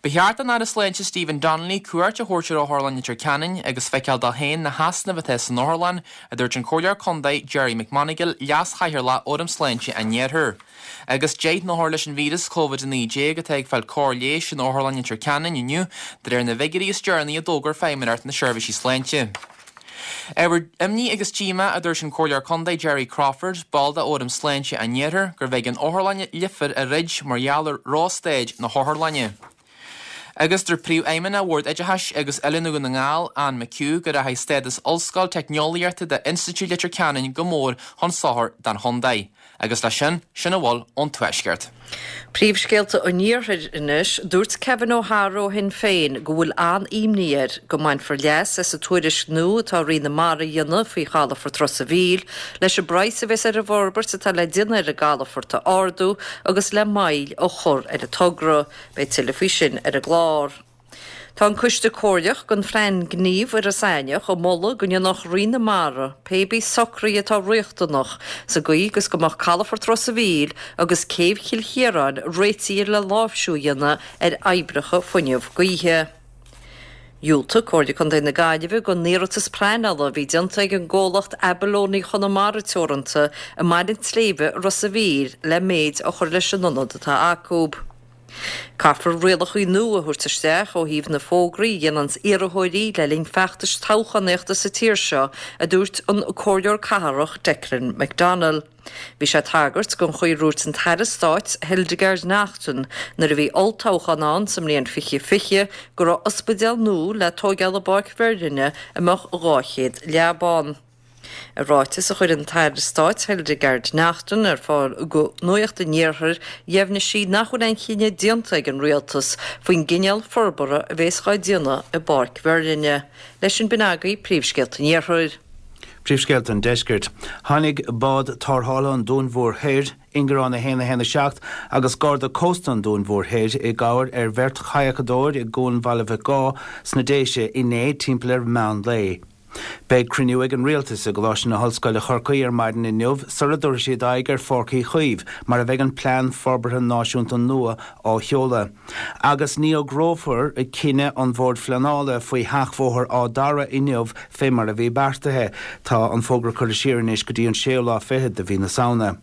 [SPEAKER 3] Ba cheart don Aire Sláinte Stephen Donnelly cuairt a thabhairt ar Otharlann Leitir Ceanainn agus feiceáil dó féin na heasnaimh atá san otharlann, a dúirt an Comhairleoir Contae Gerry McMonagall, leas-chathaoirleach Fhóram Sláinte an Iarthair. Agus deich n-othar leis an víreas Covid a naoi déag atá ag fáil cóir leighis in Otharlann Leitir Ceanainn inniu, de réir na bhfigiúirí is deireanaí a d'fhógair Feidhmeannacht na Seirbhísí Sláinte. Ábhar imní agus díomá a dúirt an Comhairleoir Contae Jerry Crawford, ball de Fhóram Sláinte an Iarthair, gurbh éigean Otharlann Leifear a dhruid mar gheall ar róstaid na hotharlainne. Agus dúirt Príomhfheidhmeannach Bhord Oideachais agus Oiliúna Dhún na nGall, Anne McHugh, go rachaidh stádas Ollscoil Teicneolaíochta d'Institiúid Leitir Ceanainn go mór chun sochair don chontae. Agus leis sin, sin a bhfuil ón Tuaisceart.
[SPEAKER 4] Príomhscéalta an Iarthair anois, dúirt Kevin O'Hara ó Shinn Féin go bhfuil an-imní air go mbainfear leas as an tuairisc nua atá Roinn na Mara a dhéanamh faoi chalafort Ros an Mhíl leis an bpraghas a bheas ar an bhforbairt atá le déanamh ar an gcalafort a ardú agus le moill a chur ar an togra. Beidh tuilleadh faoi sin ar an gclár. Tá an Coiste Comhairleach don Phlean Gnímh Ros Aithneach ag moladh go ndéanfadh Roinn na Mara pé bí socruithe atá riachtanach sa gcaoi agus go mbeadh calafort Ros an Mhíl agus céibh Chill Chiaráin réitithe le láimhsiú a dhéanamh ar oibreacha fuinneamh gaoithe. Dhiúltaigh Comhairle Contae na Gaillimhe don iarratas pleanála a bhí déanta ag an gcomhlacht Abalone Chonamara Teoranta i mBaile an tSléibhe Ros an Mhíl le méid a chur leis an ionad atá acu. Caithfear rialacha nua a thabhairt isteach ó thaobh na fógraí a dhéananns iarrthóirí le linn feachtais toghchánaíochta sa tír seo, a dúirt an Comhairleoir Cathrach Declan McDonnell. Bhí sé ag tagairt don chaoi a ndúirt an tAire Stáit Hildegarde Naughton nuair a bhí olltoghchán ann sa mbliain fiche fiche go raibh ospidéal nua le tóigeáil i bPáirc Mheirlinne a mbeadh dhá chéad leaba ann. I ráiteas a chuir an tAire Stáit Hildegarde Naughton ar fáil go Nuacht an Iarthair, dheimhnigh sí nach bhfuil aon chinneadh déanta ag an Rialtas faoin gcineál forbartha a bhéas dhá déanamh i bPáirc Mheirlinne. Leis sin b'in agaibh príomhscéalta an Iarthair.
[SPEAKER 5] Príomhscéalta an Deiscirt. Tháinig bád tarrthála an Dúin Mhóir Thoir, Ingearán a haon a haon a seacht, agus Garda Cósta an Dúin Mhóir Thoir i gcabhair ar bheirt chadhacadóir i gCuan Bhaile Mhic Gáth sna Déise inné timpeall ar mheán lae. Beidh cruinniú ag an Rialtas i gColáiste na hOllscoile Chorcaí ar maidin inniu sula dtabharfaidh siad aghaidh ar Pháirc Uí Chaoimh mar a bheidh an Plean Forbartha Náisiúnta nua á sheoladh. Agus ní fhógrófar cinneadh an Bhoird Phleanála faoi sheachbhóthar Áth Dara inniu fé mar a bhí beartaithe. Tá an fógra curtha siar anois go dtí an séú lá fichead de mhí na Samhna.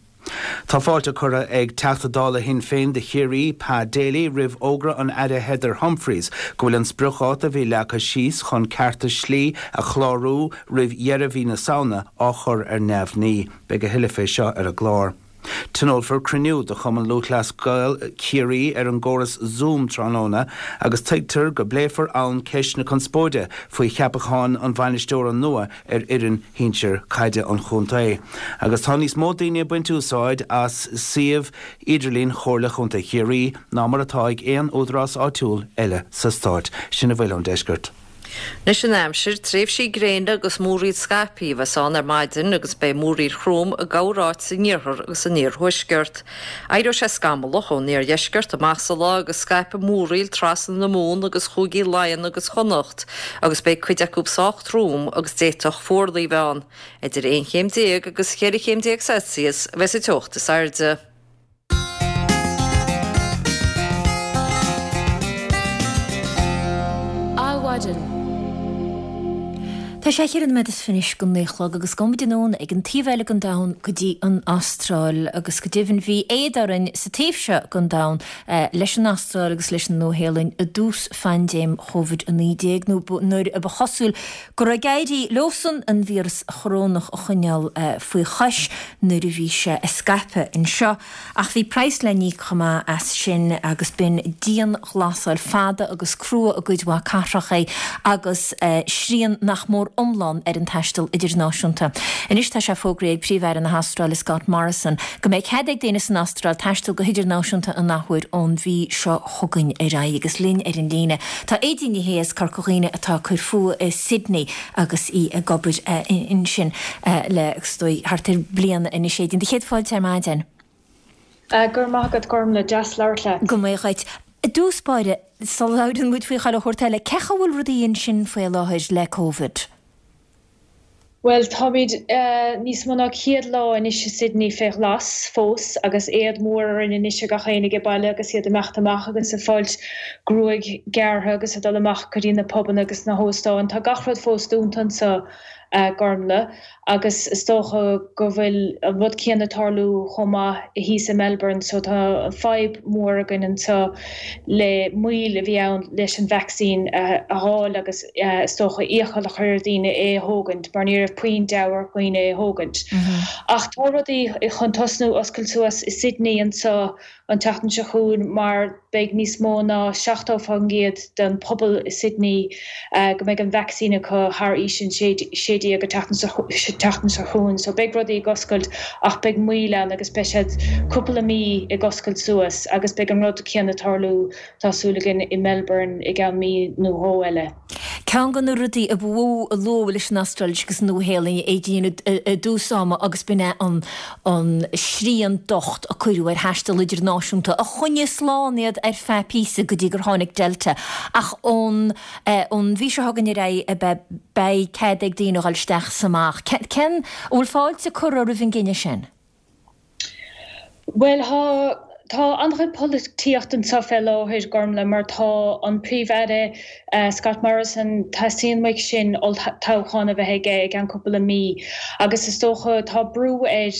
[SPEAKER 5] Tá fáilte curtha ag Teachta Dála Shinn Féin do Chiarraí, Pa Daly, roimh fhógra an Aire Heather Humphreys go bhfuil an spriocdháta a bhí leagtha síos chun cearta slí a chlárú roimh dheireadh mhí na Samhna á chur ar neamhní. Beidh a thuilleadh fé seo ar an gclár. Tionólfar cruinniú de Chumann Lúthchleas Gael Chiarraí ar an gcóras Zoom tráthnóna agus tuigtear go bpléifear ann ceist na conspóide faoi cheapachán an bhainisteora nua ar fhoireann shinsir caide an chontae. Agus tá níos mó daoine ag baint úsáid as suíomh idirlín Chomhairle Chontae Chiarraí ná mar atá ag aon údarás áitiúil eile sa stát. Sin a bhfuil ón deisceart.
[SPEAKER 4] Anois an aimsir, tréimhsí gréine agus múraíl scaipthe a bheas ann ar maidin agus beidh múraíl throm i gcorráit san iarthar agus san iarthuaisceart. Éireoidh sé scamallach ón iardheisceart amach sa lá agus scaipfidh múraíl trasna na Mumhan agus Chúigí Laighean agus Chonnacht agus beidh cuid acu sách trom agus d'fhéadfadh fuarlaigh a bheith ann. Idir aon chéim déag agus cheithre chéim déag Celsius a bheas an teocht is airde.
[SPEAKER 1] Adhmhaidin. Tá sé cheithre nóiméad is fiche anois go naoi a chlog agus gabhfaidh muid anonn ag an taobh eile den domhan go dtí an Astráil agus go deimhin bhí éad orainn sa taobh seo den domhan leis an Astráil agus leis an Nua-Shéalainn i dtús phaindéim Covid a naoi déag nó nuair a ba chosúil go raibh ag éirí leosan an víreas chorónach a choinneáil faoi chois nuair a bhí sé ag scaipeadh anseo. Ach bhí praghas le n-íoc chomh maith as sin agus b'in dianghlasáil fada agus crua i gcuid mhaith cathracha agus srian nach mór iomlán ar an taisteal idirnáisiúnta. Anois tá sé fógraithe ag Príomh-Aire na hAstráile Scott Morrison go mbeidh cead ag daoine san Astráil taisteal go hidirnáisiúnta an athuair ón mhí seo chugainn ar aghaidh agus linn ar an líne tá Aedín Ní Shé as Corca Dhuibhne atá ag cur fúithi i Sydney agus í ag obair ansin le is dóigh thart ar bliain anois. Aedín, do chéad fáilte ar maidin.
[SPEAKER 11] Go raibh maith agat Gormlaith, deas labhairt leat.
[SPEAKER 1] Go maith dhuit. I dtús báire, sula labhrann muid faoi chuile shórt eile, cén chaoi a bhfuil rudaí ansin faoi láthair le Covid?
[SPEAKER 11] Bhuel, táimid níos mó ná céad lá anois i Sydney fé ghlas fós agus éad mór orainn anois ar gach éinne age baile agus iad ag imeacht amach agus ag fáilt gruaig gearrtha agus ag dul amach go dtí na pubanna agus na hóstáin. Tá gach rud fós dúnta anseo. a Ghormlaith, agus is dócha go bhfuil an rud céanna ag tarlú chomh maith thíos i Melbourne so tá fadhb mhór againn anseo le moill a bhí ann leis an vaccine a fháil agus is dócha iachall a chur ar dhaoine é a thógaint mar ní raibh puinn deabhadh ar dhaoine é a thógaint. Ach tá rudaí chun tosnú oscailt suas i Sydney anseo an tseachtain seo chugainn mar beidh níos mó ná seachtó faoin gcéad den pobal i Sydney go mbeidh an vacsaín acu thar aois an sé déag an tseachtain seo chugainn. So beidh rudaí ag oscailt ach beidh moill ann agus beidh siad cúpla mí ag oscailt suas agus beidh an rud céanna ag tarlú tá súil againn i Melbourne i gceann mí nó dhó eile.
[SPEAKER 1] Ceann de na rudaí a ba mhó a luadh leis an Astráil agus an Nua-Shéalainn a Aedín i dtús ama agus b'in é an an srian docht a cuireadh ar thaisteal idirnáisiúnta a choinnigh slán iad ar feadh píosa go dtí gur tháinig Delta ach ón ón mhí seo chugainn ar aghaidh beidh cead ag daoine a dhul isteach 's amach. Cén an bhfuil fáilte curtha roimh an gcinneadh sin?
[SPEAKER 11] Bhuel, tá Tá an-chuid polaitíocht anseo fé láthair, Gormlaith, mar tá an Príomh-Aire Scott Morrison, teastaíonn uaidh sin olltoghchán a bheith aige i gceann cúpla mí agus is dócha tá brú air,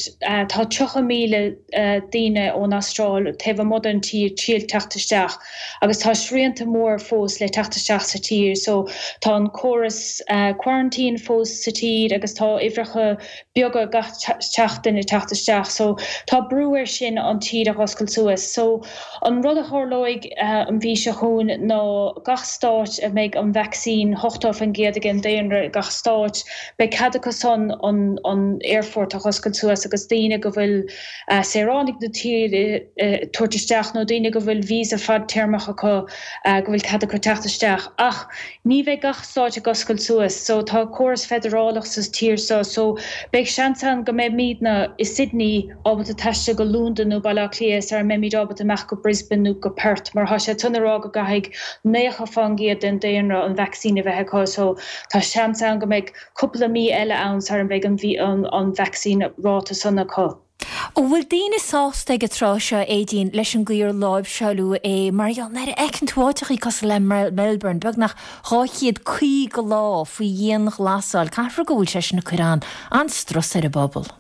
[SPEAKER 11] tá tríocha míle daoine ón Astráil taobh amuigh den tír triail teacht isteach agus tá srianta mór fós le teacht isteach sa tír so tá an córas quarantine fós sa tír agus tá uimhreacha beaga gach seachtain ag teacht isteach so tá brú air sin an tír a dh'oscailt suas. So, an rud a tharlóidh an mhí seo chugainn ná gach stáit a mbeidh an vacsaín ochtó faoin gcéad ag an daonra i gach stáit, beidh cead acu san an an aerfort a dh'oscailt suas agus daoine go bhfuil saoránaigh na tíre tabhairt isteach nó daoine go bhfuil visa fadtéarmach acu go bhfuil cead acu teacht isteach. Ach ní bheidh gach stáit ag oscailt suas. So, tá córas feidearálach sa tír seo so beidh seans ann go mbeimidne i Sydney ábalta taisteal go Londain nó Baile Átha Cliath sara mbeimid ábalta imeacht go Brisbane nó go Perth mar tá siad san ag rá go gcaithfidh naocha fán gcéad den daonra an vacsaín a bheith acu so tá seans ann go mbeidh cúpla mí eile ann sara mbeidh an an vacsaín ráta san acu.
[SPEAKER 1] An bhfuil daoine sásta ag an tráth seo, Aedín, leis an gcaoi ar láimhseáladh é mar gheall nuair a fheiceann tú áiteachaí cosúil le Melbourne, beagnach dhá chéad caoga lá faoi dhianghlasáil, caithfear go bhfuil sé sin ag cur an-strus ar an bpobal?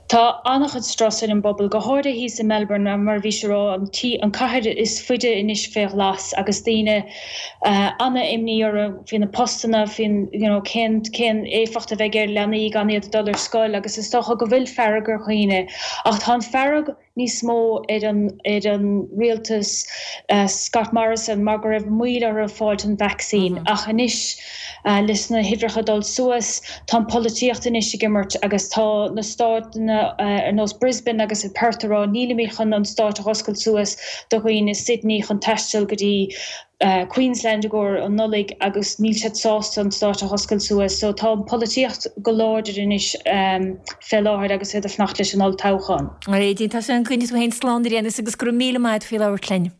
[SPEAKER 11] Tá an-chuid strus ar an bpobal, go háirithe thíos i Melbourne, mar a bhís ag rá, an tí, an cathair is faide anois fé ghlas agus daoine an-imní orthu faoi na postanna, faoin, you know, cén, cén éifeacht a bheidh ar leanaí gan iad ag dul ar scoil agus is dócha go bhfuil fearg ar dhaoine. Ach tá an fearg níos mó ar an ar an rialtas Scott Morrison mar go raibh moill orthu fáilt an vacsaín ach anois leis na huimhreacha dul suas tá an polaitíocht anois ag imirt agus tá na státanna ar nós Brisbane agus Perth ag rá nílimid chun an stát a dh'oscailt suas do dhaoine Sydney chun taisteal go dtí Queensland i gcomhair an Nollaig agus níl siad sásta an stát a dh'oscailt suas so tá an polaitíocht go láidir anois fé láthair agus iad ag fanacht leis an olltoghchán.
[SPEAKER 1] A Aedín, tá súil againn go gcoinneoidh tú féin slán ar aon nós agus go raibh míle maith agat faoi labhairt linn.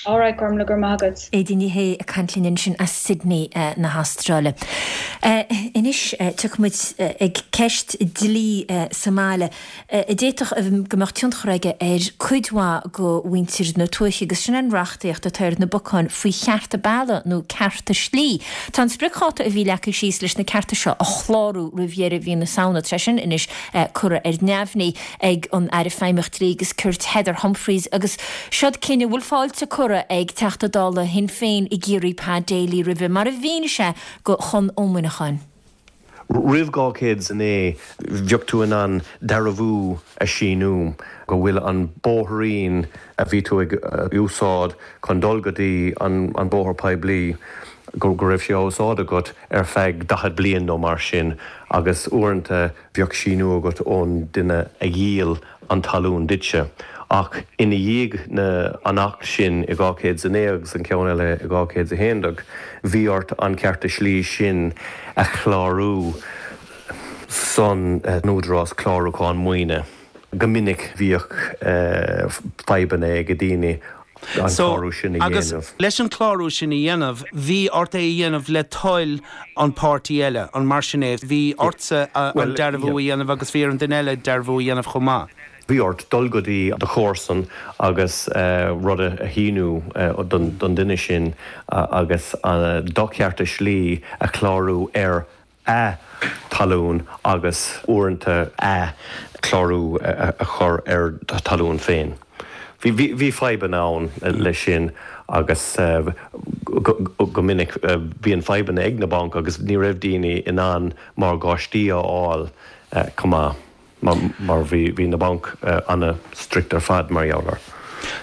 [SPEAKER 11] Alright, Gormlaith, go raibh maith agat.
[SPEAKER 1] Aedín Ní Shé ag caint linn ansin as Sydney na hAstráile. Anois tiocfaidh muid ag ceist dlí sa mbaile a d'fhéadfadh go mbeadh tionchar aige ar cuid mhaith de mhuintir na tuaithe agus sin an reachtaíocht atá ar na bacáin faoi chearta bealaigh nó cearta slí. Tá an spriocdháta a bhí leagtha síos leis na cearta seo a chlárú roimh dheireadh mhí na Samhna, tá sé sin anois curtha ar neamhní ag an Aire Feidhmeach Dlí agus Cirt Heather Humphreys agus seod cinneadh a bhfuil fáilte curtha ag Teachta Dála Shinn Féin i gCiarraí Pa Daly roimhe, mar a mhínigh sé do Chonn Ó Muineacháin.
[SPEAKER 12] Roimh dhá chéad is a naoi, bheadh tú in ann dearbhú a shíniú go bhfuil an bóithrín a bhí tú ag úsáid chun dul go dtí an bóthar poiblí, go raibh sé á úsáid agat ar feadh daichead bliain nó mar sin agus uaireanta bheadh síniú agat ón duine a dhíol an talún duitse. Ach ina dhiaidh na an Acht sin i dhá chéad is a naoi agus an ceann eile i dhá chéad is a haon déag, bhí ort an cearta slí sin a chlárú san Údarás Clárúcháin Maoine. Go minic bhíodh fadhbanna ag daoine an clárú sin a
[SPEAKER 5] Agus
[SPEAKER 12] dhéanamh.
[SPEAKER 5] leis an clárú sin a dhéanamh, bhí ort é a dhéanamh le toil an páirtí eile, an mar sin é? Bhí ortsa an dearbhú a dhéanamh agus bhí ar an duine eile dearbhú a dhéanamh chomh maith.
[SPEAKER 12] Bhí ort dul go dtí do chomharsan agus rud a shíniú don duine sin agus do chearta slí a chlárú ar a talún agus uaireanta a chlárú a chur ar do thalún féin. Bhí fadhbanna ann leis sin agus go minic bíonn fadhbanna ag na bainc agus ní raibh daoine in ann morgáistí a fháil chomh maith mar bhí na bainc an-strict ar fad mar gheall air.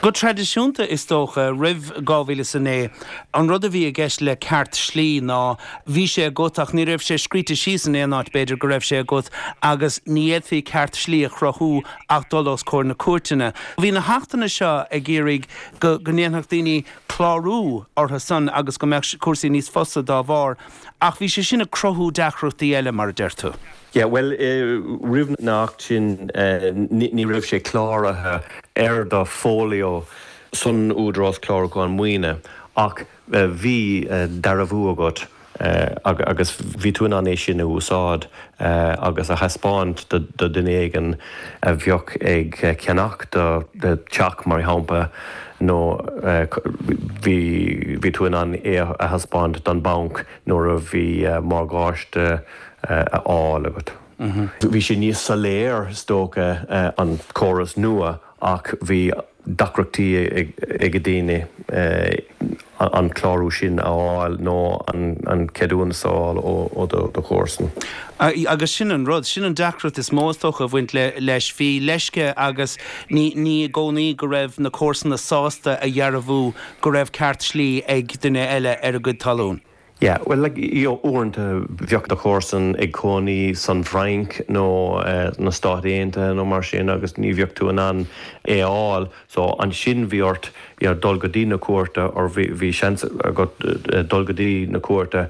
[SPEAKER 5] Go traidisiúnta, is dócha, roimh dhá mhíle is a naoi, an rud a bhí i gceist le ceart slí ná bhí sé agat ach ní raibh sé scríte síos in aon áit, b'fhéidir go raibh sé agat agus ní fhéadfaí ceart slí a chruthú ach dul os comhair na cúirteanna. Bhí na hachtanna seo ag iarraidh go go ndéanfadh daoine clárú orthu san agus go mbeadh cúrsaí níos fusa dá bharr ach bhí sé sin ag cruthú deacrachtaí eile, mar a deir tú.
[SPEAKER 12] Yeah, bhuel, roimh na Acht sin ní raibh sé cláraithe ar do fholio san Údarás Clárúcháin Maoine ach bhí dearbhú agat agus bhí tú in ann é sin a úsáid agus a thaispeáint do duine éigin a bheadh ag ceannach do teach mar shampla nó bhí bhí tú in ann é a thaispeáint don banc nuair a bhí morgáiste a fháil agat. Bhí sé níos soiléir is dócha an córas nua ach bhí deacrachtaí ag daoine an clárú sin a fháil nó an ceadúnas a fháil ó do chomharsan.
[SPEAKER 5] Agus sin an rud, sin an deacracht is mó is dócha a bhaint leis. Bhí leisce agus ní ní i gcónaí go raibh na comharsana sásta a dhearbhú go raibh ceart slí ag duine eile ar a gcuid talún.
[SPEAKER 12] Yeah, well like, you know, uaireanta bheadh do chomharsan ag cónaí san Fhrainc nó uh, na Stáit Aontaithe nó mar sin agus ní bheadh tú in ann é a fháil, so ansin bhí ort you know, dul go dtí na cúirte or bhí bhí seans agat uh, dul go dtí na cúirte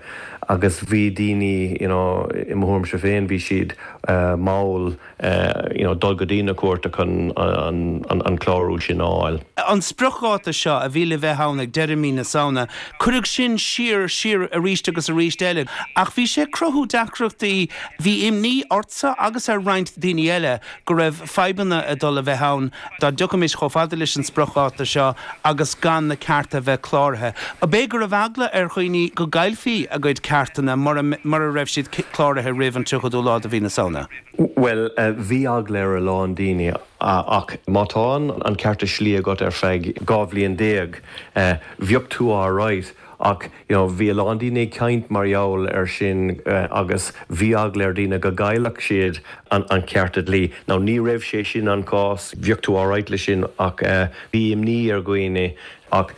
[SPEAKER 12] agus bhí daoine you know, i mo thuairimse féin bhí siad uh, mall uh, you know, dul go dtí na cúirte chun an, an, an clárú sin a fháil.
[SPEAKER 5] An spriocdháta seo a bhí le bheith ann ag deireadh mí na Samhna, cuireadh sin siar siar arís agus arís eile, ach bhí sé ag cruthú deacrachtaí bhí imní ortsa agus ar roinnt daoine eile go raibh fadhbanna ag dul a bheith ann dá dtiocfaimis chomh fada leis an spriocdháta seo agus gan na cearta bheith cláraithe. Ab é go raibh eagla ar dhaoine go gcaillfí a gcuid ceartanna mura raibh siad cláraithe roimh an tríochadú lá de mhí na Samhna?
[SPEAKER 12] Well, uh, bhí eagla ar a lán daoine ach má tá an cearta slí agat ar feadh dhá bhliain déag, uh, bheadh tú alright ach you know, bhí a lán daoine ag caint mar gheall ar sin uh, agus bhí eagla ar daoine go gcaillfeadh siad an, an cearta dlí. Now ní raibh sé sin an cás bheadh tú alright le sin ach uh, bhí imní ar dhaoine ach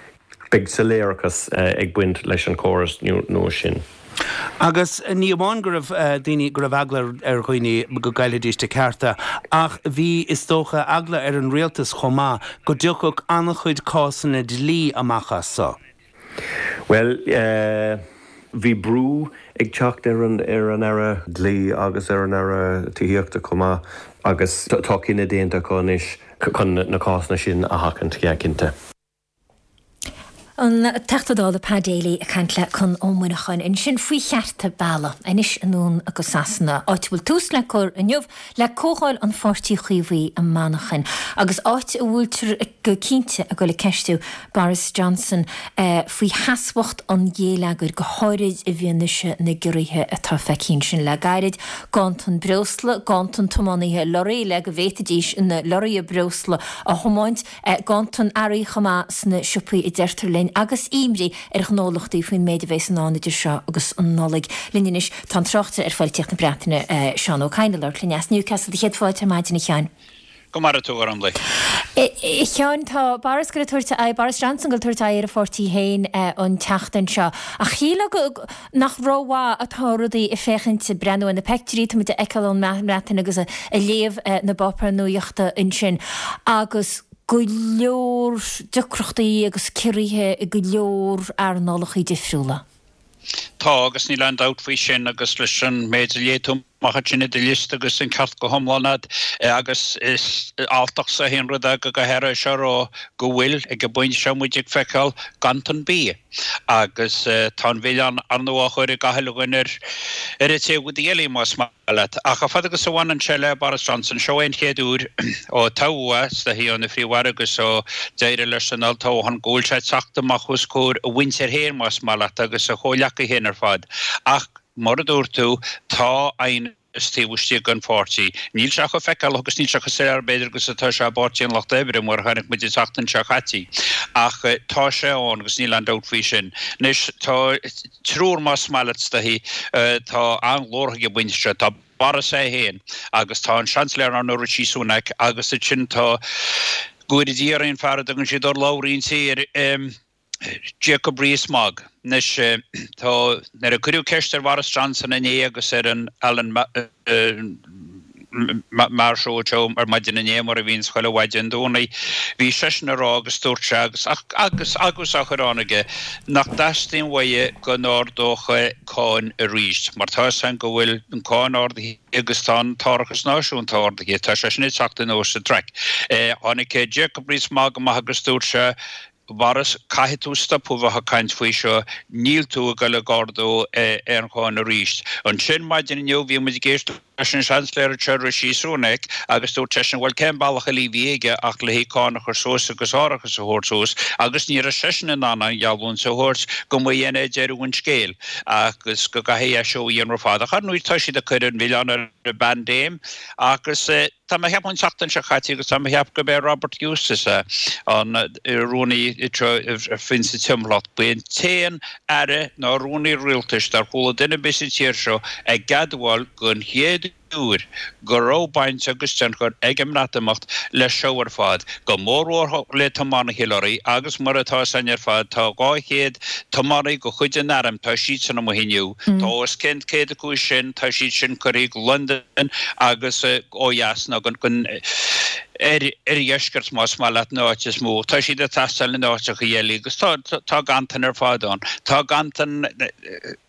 [SPEAKER 12] beidh soiléireachas uh, ag baint leis an córas nua sin.
[SPEAKER 5] Agus ní amháin go raibh daoine go raibh eagla ar dhaoine go gcaillfidís a gcearta, ach bhí is dócha eagla ar an rialtas chomh maith go dtiocfadh an-chuid cásanna dlí amach as seo.
[SPEAKER 12] Well, uh, bhí brú ag teacht ar an ar an Aire dlí agus ar an Aire tithíochta chomh maith agus tá cinneadh déanta acu anois chun na cásanna sin a sheachaint cinnte.
[SPEAKER 1] An Teachta Dála Pa Daly ag caint le Conn Ó Muineacháin ansin faoi chearta bealaigh anois anonn go Sasana. Áit a bhfuil tús le cur inniu le comhdháil an Pháirtí Chaomhaigh i Manchain agus áit a bhfuiltear go cinnte ag dul ag ceistiú Boris Johnson eh, faoi sheasmhacht an gheilleagair go háirid i bhfianaise na gciorruithe atá feicthe ansin le gairid, ganntan breosla, ganntan tiománaithe lorraí le go bhféadfaidís na lorraithe breosla a thiomáint, eh, ganntan earraí chomh maith sna siopaí a deirtear linn agus imní ar ghnólachtaí faoin méid a bheas i ndán idir seo agus an Nollaig. Linn anois tá an tráchtaire ar pholaitíocht na Breataine eh, Seán Ó Cadhain ag labhairt linn as Newcastle céad fáilte ar maidin a Sheáin.
[SPEAKER 13] Go maire tú ar an le.
[SPEAKER 1] A Sheáin tá Boris ag tabhairt Boris Johnson ag tabhairt aghaidh ar a pháirtí féin eh, an tseachtain seo. Ach shílfeá nach rómhaith atá rudaí ag féachaint breathnú ar na pictiúirí tá muid a fheiceáil ón mBreatain agus a léamh eh, na bpáipéar nuachta ansin. Agus go leor deacrachtaí agus ciorruithe i go leor earnálacha difriúla.
[SPEAKER 13] Tá agus níl aon dabht faoi sin agus leis an méid a léigh tú amach ansin i do liosta agus an ceart go hiomlán agat agus is alltach sa haon rud go go háirithe seo rá go bhfuil ag an bpointe seo muid ag feiceáil ganntan bia agus tá an mhilleán ar ndóigh á chur ag gach uile dhuine ar ar an taobh eile más maith leat. Ach a fad agus a bhaineann sé le Boris Johnson seo é an chéad uair ó toghadh é is ina phríomh-aire agus ó d'éirigh leis an olltoghchán go bhfuil sé ag teacht amach os comhair a mhuintir féin más maith leat agus a chomhghleacaithe féin ar fad. Ach mar a dúirt tú tá aighneas taobh istigh den pháirtí. Níl sé chomh feiceálach agus níl sé chomh soiléir b'fhéidir agus atá sé i bPáirtí an Lucht Oibre mar a chonaic muid an tseachtain seo caite. Ach tá sé ann agus níl aon dabht faoi sin. Anois tá triúr más maith leat is dóichí tá an-ghlórach ag an bpointe seo. Tá Boris é féin agus tá an Seansailéir ar ndóigh Rishi Sunak agus ansin tá go bhfóire Dia orainn an fear a dtugann siad urlabhraí an tí air Jacob Rees-Mogg. Anois tá nuair a cuireadh ceist ar Boris Johnson inné agus ar an Alan Maher Show ar maidin inné mar a bhíonns chuile mhaidin Domhnaigh, bhí seisean ag rá agus dúirt sé agus agus agus á chur ann aige nach dteastaíonn uaidh go n-ardódh cáin arís mar tá a fhios againn go bhfuil an cáin ardaithe agus tá an t-árachas náisiúnta ardaithe, tá sé sin ag teacht anuas sa traic. Tháinig Jacob Rees-Mogg amach agus dúirt sé Boris, caithfidh tú stopadh bheith ag caint faoi seo, níl tú ag dul ag ardú aon cháin arís. Ansin maidin inniu bhí muid ag éisteacht leis an Seansailéir anseo, Rishi Sunak, agus dúirt seisean, bhuel cén bealach eile a bhí aige ach le haghaidh cáin a chur suas agus árachas a thabhairt suas agus ní raibh seisean in ann an gheallúint a thabhairt go mba shin é deireadh an scéil agus go gcaithfidh é seo a dhéanamh ar fad. Ach ar ndóigh tá siad ag cur an mhilleán ar an bpaindéim agus Tá mé a cheapadh an tseachtain seo caite agus tá mé a cheapadh gurb é Robert Eustace an rúnaí faoin sa timpeallacht. Ba é an t-aon aire ná rúnaí rialtais dar chuala duine ar bith sa tír seo ag admháil den chéad uair go raibh baint agus tionchar ag an mBreatimeacht leis seo ar fad, go mórmhór le tiománaithe lorraí agus mar atá 'fhios a'inn ar fad tá dhá chéad tiománaí de chuid an airm, tá siadsan amuigh inniu. Tá os cionn céad acu sin, tá siad sin curtha go Londain agus ó dheas nó go oirdheisceart más maith leat an áit is mó. Tá siad ag teastáil in áiteacha eile agus tá tá ganntan ar fad ann. Tá ganntan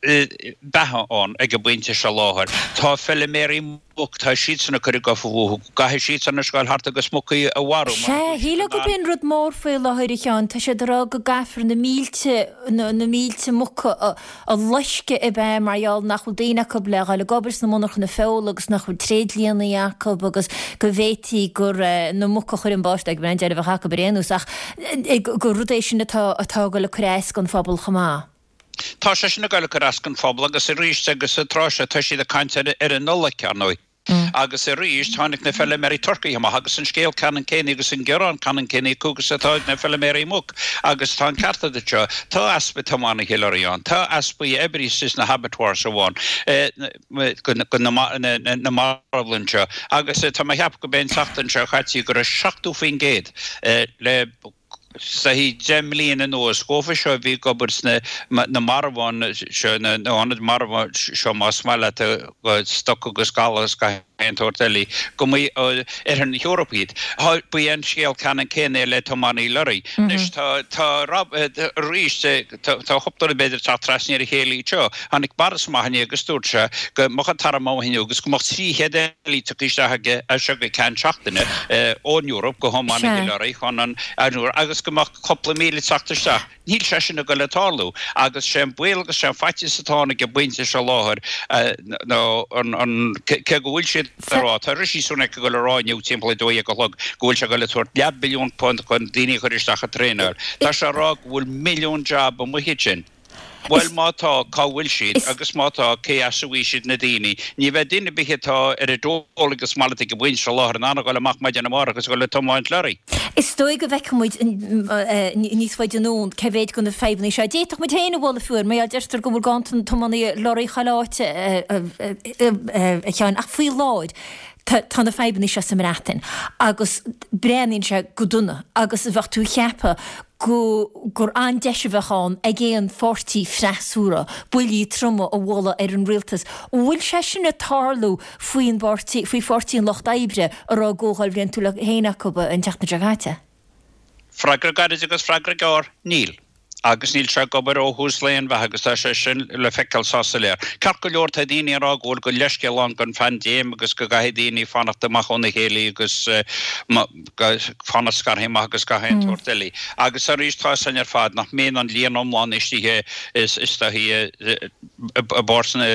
[SPEAKER 13] beatha ann ag an bpointe seo láthair. Tá feiliméaraí muc, tá siadsan ag cur a gcofa fúthu, go gcaithfidh siadsan anois gabháil thart agus mucaí a mharú mar
[SPEAKER 1] Sea, shílfeá gurb é an rud mór faoi láthair, a Sheáin, tá siad ag rá go gcaithfear na mílte, na mílte muca a a loisceadh ab ea mar gheall nach bhfuil daoine acu le dhul ag obair sna monarchana feola agus nach bhfuil tréidlianna acu agus go bhféadfaí gur na muca a chuir an báisteach ag an deireadh a bheadh acu ar aon nós ach gur rud é sin atá atá ag dul ag cur as don phobal chomh maith.
[SPEAKER 13] Tá sé sin ag dul ag cur as don phobal agus arís agus sa tráth seo tá siad ag caint ar ar an Nollaig, ar ndóigh. Agus arís tháinig na feiliméaraí turcaí amach agus an scéal ceannann céanna agus an gearán ceannann céanna acu agus atá ag na feiliméaraí muc. Agus tá an ceart agat anseo, tá easpa tiománaithe lorraí ann, tá easpa oibrithe sna habattoirs amháin, go na marbhlann seo. Agus tá mé a cheapadh go b'é an tseachtain seo caite go raibh seachtó faoin gcéad le saghas deich mbliana anuas dhófa seo a bhí ag obair sna na marbháin seo, na hionaid marbháin seo más maith leat, stoc agus gabhal agus gach aon tsórt eile, go mba ó Oirthear na hEorpa iad. Ba é an scéal ceannann céanna le tiománaí lorraí. Anois tá, tá, arís, tá cúpla rud b'fhéidir ag teacht trasna ar a chéile anseo. Tháinig Boris amach inné agus dúirt sé go mbeadh an t-arm amuigh inniu agus go mbeadh trí chéad eile tugtha isteach aige as seo go ceann seachtaine ón Eoraip go thiománaithe lorraí chun an agus go mbeadh cúpla míle ag teacht isteach. Níl sé sin ag dul ag tarlú agus sé an baol agus sé an faitíos atá ann ag an bpointe seo láthair ná an cé go bhfuil siad ag rá, tá Rishi Sunak ag dul a rá inniu timpeall a dó dhéag a chlog go bhfuil sé ag dul ag tabhairt leath billiún punt chun daoine a chur isteach ag traenáil. Tá sé ag rá go bhfuil milliún jab amuigh ansin. Bhuel, má tá, cá bhfuil siad? Agus má tá, cé as a bhfaighidh siad na daoine? Ní bheidh duine ar bith atá ar an dole agus mallacht ag an bpointe seo láthair in ann a dhul amach maidin amárach agus a dhul ag tiomáint lorraí.
[SPEAKER 1] Is dóigh go bhfeicfidh muid níos faide anonn cé mhéid de na fadhbanna seo. D'fhéadfadh muid féin a bhualadh fiú air, mar gheall deirtear go bhfuil ganntan tiománaithe lorraí chuile áit, a Sheáin, ach faoi láthair tá na fadhbanna seo sa mBreatain agus breathnaíonn sé go dona agus bheadh tú ag ceapadh go gur an-deis a bheadh ann ag aon pháirtí freasúra buillí troma a bhualadh ar an rialtas. An bhfuil sé sin ag tarlú faoin bpáirtí, faoi Pháirtí an Lucht Oibre a raibh a gcomhdháil bhliantúil féin acu an tseachtain seo caite?
[SPEAKER 13] Freagra gairid agus freagra gearr, níl. Agus níl sé ag obair ó thús lae an bheatha agus tá sé sin le feiceáil sách soiléir. Ceart go leor tá daoine ag rá go bhfuil go leithscéal ann don phaindéim agus go gcaithfidh daoine fanacht amach óna chéile agus fanacht scartha amach agus gach aon tsórt eile. Agus arís tá 'fhios a'inn ar fad nach mbíonn an líon iomlán istigh istigh i bpáirt na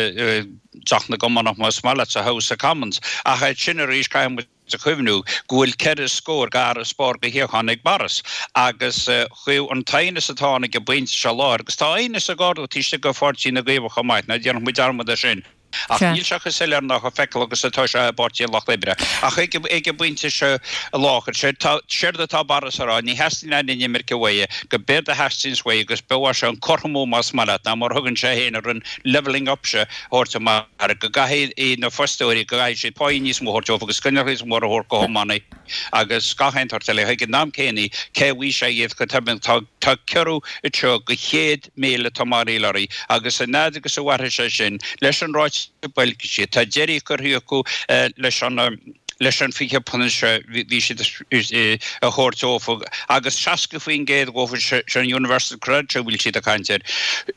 [SPEAKER 13] dTeach na gCommonach más maith leat sa House of Commons. Ach sin arís caithfidh muid a chuimhniú go bhfuil ceithre scór d'fharasbarr de shuíocháin ag Boris agus chuaigh an t-aighneas atá ann ag an bpointe seo láthair, agus tá aighneas ag ardú taobh istigh de Pháirtí na gCaomhach chomh maith, ná déanfaidh muid dearmad de sin, ach níl sé chomh soiléir ná chomh feiceálach agus atá sé i bPáirtí an Lucht Oibre. Ach ag an bpointe seo láthair, séard atá Boris a rá, ní theastaíonn aon inimirce uaidh, go b'éard a theastaíonns uaidh agus b'fhiú é seo an cothromú más maith leat, ná mar a thugann sé féin ar an levelling up seo, thabhairt amach go gcaithfidh na fostóirí, go gcaithfidh siad páí níos mó a thabhairt dóibh agus coinníollacha níos mó a thabhairt do thiománaithe agus gach aon tsórt eile. Ag an am céanna, cé a bhfaighidh sé iad go tobann? Tá tá ciorrú anseo de chéad míle tiománaí lorraí agus an fhad agus a mhairfidh sé sin, leis an ráiteas boilg siad, tá deireadh curtha acu leis an leis an fiche punt seo bhí siad a thabhairt dófa agus seasca faoin gcéad dhófa seo an Universal Credit seo a bhfuil siad ag caint air.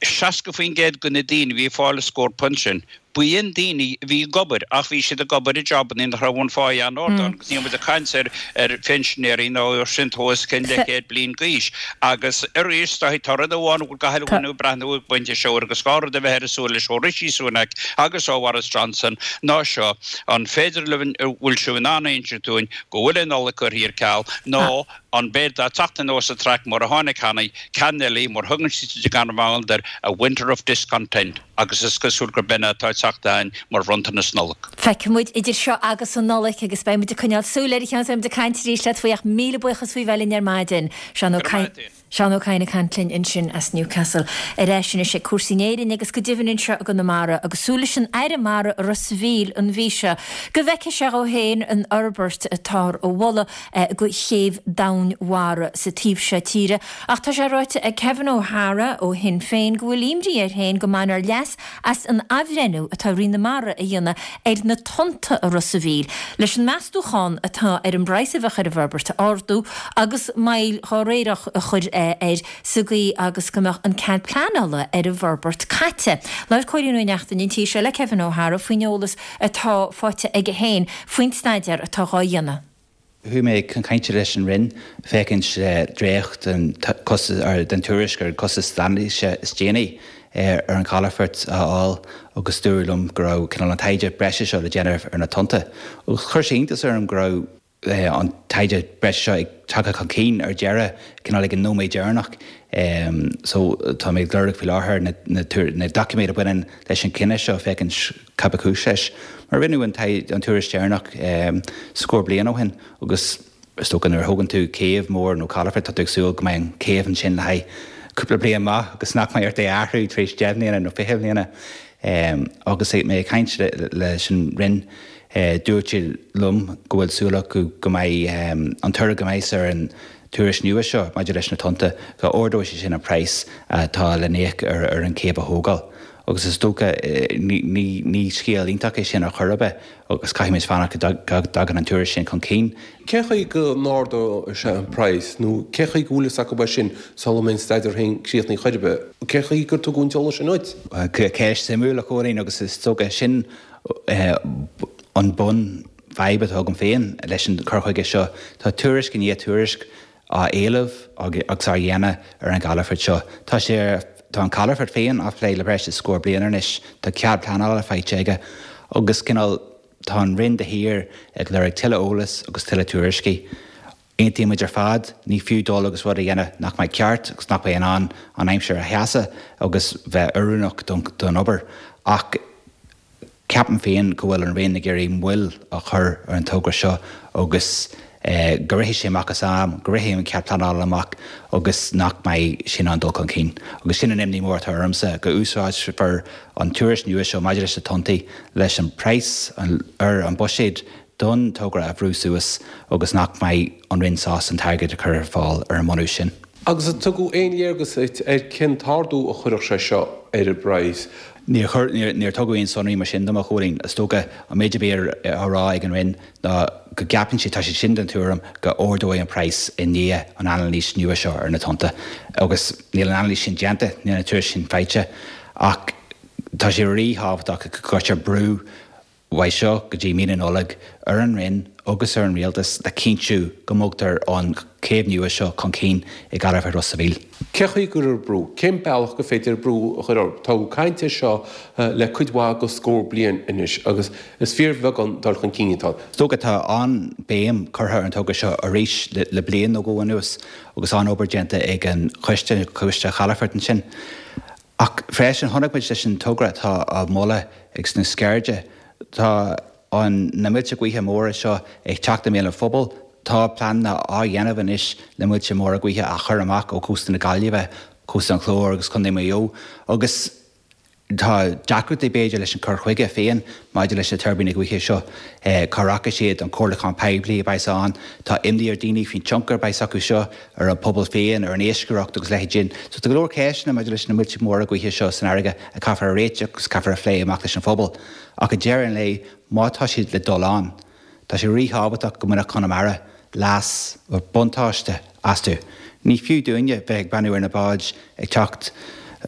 [SPEAKER 13] seasca faoin gcéad de na daoine a bhí ag fáil an scór punt sin, B'in daoine a bhí ag obair ach bhí siad ag obair i jabanna nach raibh an pháigh an-ard ann agus níl muid ag caint ar ar phinsinéirí nó ar sin os cionn leathchéad bliain d'aois. Agus arís tá rud amháin a bhfuil gach uile dhuine ag breathnú ag an bpointe seo air agus gá rud a bheith ar a súil leis ó Rishi Sunak agus ó Bhoris Johnson ná seo, an féidir libh an bhfuil sibh in ann a insint dúinn go bhfuil an Nollaig curtha ar ceal nó an mbeidh ag teacht anuas an traic mar a tháinig cheana, ceann eile mar thugann siad gan mhoill air, a winter of discontent agus is cosúil gurb in atá ag teacht againn mar bhronntanas Nollag.
[SPEAKER 1] Feicfidh muid idir seo agus an Nollaig agus beidh muid ag coinneáil súil air a Sheáin, beidh muid ag caint arís leat faoi ach míle buíochas faoi bheith linn ar maidin. Seán Ó Cadhain. Seán Ó Cadhain ag caint linn ansin as Newcastle. Ar ais anois ag cúrsaí in Éirinn agus go deimhin anseo i gConamara agus súil leis an Aire Mara i Ros a' Mhíl an mhí seo go bhfeicfidh sé dhó féin an fhorbairt atáthar a mholadh go chéibh domhainmhara sa taobh seo tíre. Ach tá sé ráite ag Kevin O'Hara ó Shinn Féin go bhfuil imní air féin go mbainfear leas as an athbhreithniú atá Roinn na Mara a dhéanamh ar na tonnta i Ros a' Mhíl leis an meastúchán atá ar an bpraghas a bheadh ar an bhforbairt a ardú agus moill dhá réireach a chur air sa gcaoi agus go mbeadh an cead pleanála ar an bhforbairt caite. Labhair Cóilín Ó Neachtain an tí seo le Kevin O'Hara faoin eolas atá faighte aige féin faoin staidéar atá dhá dhéanamh.
[SPEAKER 14] Chuaigh mé chun cainte leis an Roinn féachaint le dréacht den den tuairisc ar an costas anailíse is déanaí ar an chalafort a fháil agus dúradh liom go raibh cineál an taighde breise seo le déanamh ar na tonnta. Agus chuir sé iontas orm go raibh an taighde breise seo ag tagtha chun cinn ar deireadh, cineál ag an nóiméad deireanach. So tá mé ag lorg faoi láthair na na doiciméid a bhaineann leis an chinneadh seo féachaint cad ba chúis leis. Mar rinneadh an an tuairisc deireanach scór bliain ó shin agus is dócha nuair a thógann tú céibh mhór nó calafort tá tú ag súil go mbeidh an chéibh ansin le haghaidh cúpla bliain maith agus nach mbeidh ort é a athrú tar éis deich mbliana nó fiche bliana. Agus mé ag caint leis an Roinn dúirt siad liom go bhfuil súil acu go mbeidh an toradh go mbeidh ar an tuairisc nua seo maidir leis na tonnta, go ardóidh sé sin an praghas atá le n-íoc ar an chéibh a thógáil. Agus is dócha, ní scéal iontach é sin ar chor ar bith agus caithfimid fanacht go dtagann an tuairisc sin chun cinn.
[SPEAKER 15] Cén chaoi go n-ardóidh sé an praghas nó cén chaoi go bhfuil fhios acu é sin sula mbeidh an staidéar féin críochnaithe chor ar bith? Cén chaoi gur tugadh an t-eolas sin duit?
[SPEAKER 14] Ceist suimiúil, a Chóilín, agus is dócha sin an bun fadhb atá agam féin leis an cur chuige seo. Tá tuairisc i ndiaidh tuairisc á éileamh agus á dhéanamh ar an gcalafort seo. Tá sé ar tá an calafort féin á phlé le breis is scór bliain anois, tá cead pleanála faighte aige agus cineál tá an Roinn de shíor ag lorg tuilleadh eolas agus tuilleadh tuairiscí. Aontaíonn muid ar fad, ní fiú dul agus rud a dhéanamh nach mbeidh ceart agus nach mbeidh in ann an aimsir a sheasamh agus bheith oiriúnach don obair ach ceapaim féin go bhfuil an Roinn ag iarraidh moill a chur ar an togra seo agus go rithfidh sé amach as am, go rithfidh an cead pleanála amach agus nach mbeidh sé in ann dul chun cinn. Agus sin an imní mór atá ormsa, go úsáidfear an tuairisc nua seo maidir leis na tonntaí leis an praghas ar an buiséad don togra a bhrú suas agus nach mbeidh an Roinn sásta an t-airgead a chur ar fáil ar an mbunús sin.
[SPEAKER 15] Agus an tugadh aon léargas duit ar cén t-ardú a chuirfeadh sé seo ar an bpraghas?
[SPEAKER 14] Níor chuir, níor tugadh aon sonraí mar sin dom, a Chóilín. Is dócha, an méid a bhí á rá ag an Roinn ná go gceapann siad, tá siad sin den tuairim, go ardóidh an praghas i ndiaidh an anailís nua seo ar na tonnta. Agus níl an anailís sin déanta, níl an tuairisc sin faighte, ach tá sé ríthábhachtach go gcuirtear brú uaidh seo go dtí mí na Nollag ar an Roinn agus ar an Rialtas le cinntiú go mbogtar an chéibh nua seo chun cinn i gcalafort Ros a' Mhíl.
[SPEAKER 15] Cén chaoi go gcuirfear brú? Cén bealach gur féidir brú a chur orthu? Tá caint air seo le cuid mhaith de scór bliain anois agus is fíorbheag an dul chun cinn atá ann.
[SPEAKER 14] Is dócha tá an-bhéim curtha ar an togra seo arís le bliain nó dhó anuas agus an-obair déanta ag an choiste, Coiste Chalafoirt ansin. Ach freisin chonaic muid leis an togra atá á mholadh ag sna Sceirde, tá an na muilte gaoithe móra seo ag teacht i mbéal an phobail. Tá pleananna á dhéanamh anois le muilte móra gaoithe a chur amach ó chósta na Gaillimhe, cósta an Chláir agus Contae Mhaigh Eo agus tá deacrachtaí b'fhéidir leis an cur chuige féin maidir leis na tuirbíní gaoithe seo. Cá rachaidh siad, an comhairliúchán poiblí a bheas ann, tá imní ar daoine faoin tionchar a bheas acu seo ar an pobal féin, ar an iascaireacht agus leithéid sin. So tá go leor ceisteanna maidir leis na muilte móra gaoithe seo san fharraige a caithfear a réiteach agus caithfear a phlé amach leis an phobal. Ach ag deireadh an lae, má tá siad le dul ann, tá sé ríthábhachtach go mbainfeadh Conamara leas, buntáiste astu. Ní fiú dúinne bheith ag breathnú ar na báid ag teacht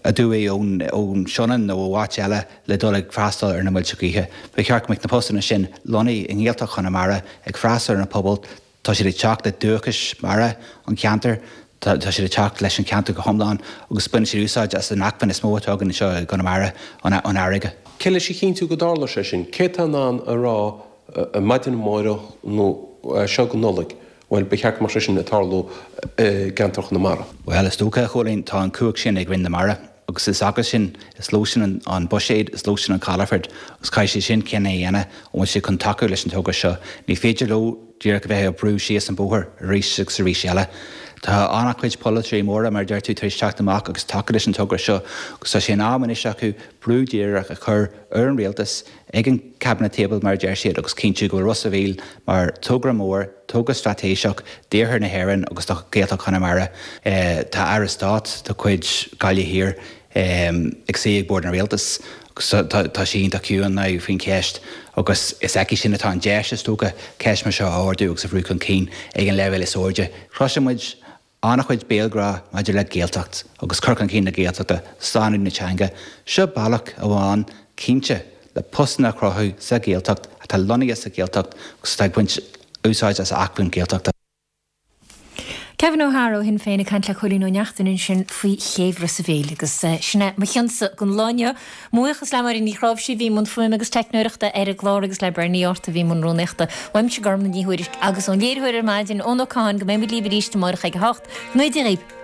[SPEAKER 14] aduaidh ón ón Sionainn nó ó áit eile le dul ag freastal ar na muilte gaoithe. Ba cheart go mbeadh na postanna sin lonnaithe i nGaeltacht Chonamara ag freastal ar na pobail, tá siad ag teacht le dúchas mara an cheantair, tá siad ag teacht leis an cheantar go hiomlán agus baineann siad úsáid as an acmhainn is mó atá againn anseo i gConamara, an fharraige.
[SPEAKER 15] Cé leis a chinntiú go dtarlóidh sé sin? Cé atá in ann a rá maidin amárach nó seo go Nollaig, bhuel, ba cheart go mbeadh sé sin ag tarlú i gceantar Chonamara?
[SPEAKER 14] Bhuel, is dócha, a Chóilín, tá an chumhacht sin ag Roinn na Mara agus is acu sin, is leo sin an buiséad, is leo sin an calafort agus caithfidh siad sin cinneadh a dhéanamh an bhfuil siad chun tacú leis an togra seo. Ní féidir leo díreach a bheith ag brú síos an bóthar arís agus arís eile. Tá an-chuid polaiteoirí móra, mar a deir tú, tar éis teacht amach agus tacú leis an togra seo agus tá sé in am anois acu brú díreach a chur ar an rialtas ag an cabinet table, mar a deir siad, agus cinntiú go bhfuil Ros a' Mhíl mar togra mór, togra straitéiseach d'iarthar na hÉireann agus do Ghaeltacht Chonamara. Tá Aire Stáit de chuid Gaillimh Thiar ag suí ag bord an rialtais agus tá sí iontach ciúin now faoin cheist agus is aici sin atá an deis, is dócha, ceist mar seo a ardú agus a bhrú chun cinn ag an leibhéal is airde. Cloiseann muid an-chuid béalghrá maidir le Gaeltacht agus cur chun cinn na Gaeltachta, slánú na teanga. Seo bealach amháin cinnte le postanna a chruthú sa Ghaeltacht atá lonnaithe sa Ghaeltacht agus atá ag baint úsáid as acmhainn Gaeltachta.
[SPEAKER 1] Kevin O'Hara ó Shinn Féin ag caint le Cóilín Ó Neachtain ansin faoi chéibh Ros a' Mhíl agus sin é mo chionsa don lá inniu. Mo bhuíochas le Máire Ní Chráimhsí a bhí i mbun fuaime agus teicneoireachta ar an gclár agus le Bernie Art a bhí i mbun rúnaíochta. Uaimse Gormlaith Ní Thuairisg agus ón léiritheoir ar maidin, Eoin Ó Catháin, go mbeidh muid libh arís amárach ag a hocht. Go ngnóthaí Dia dhaoibh.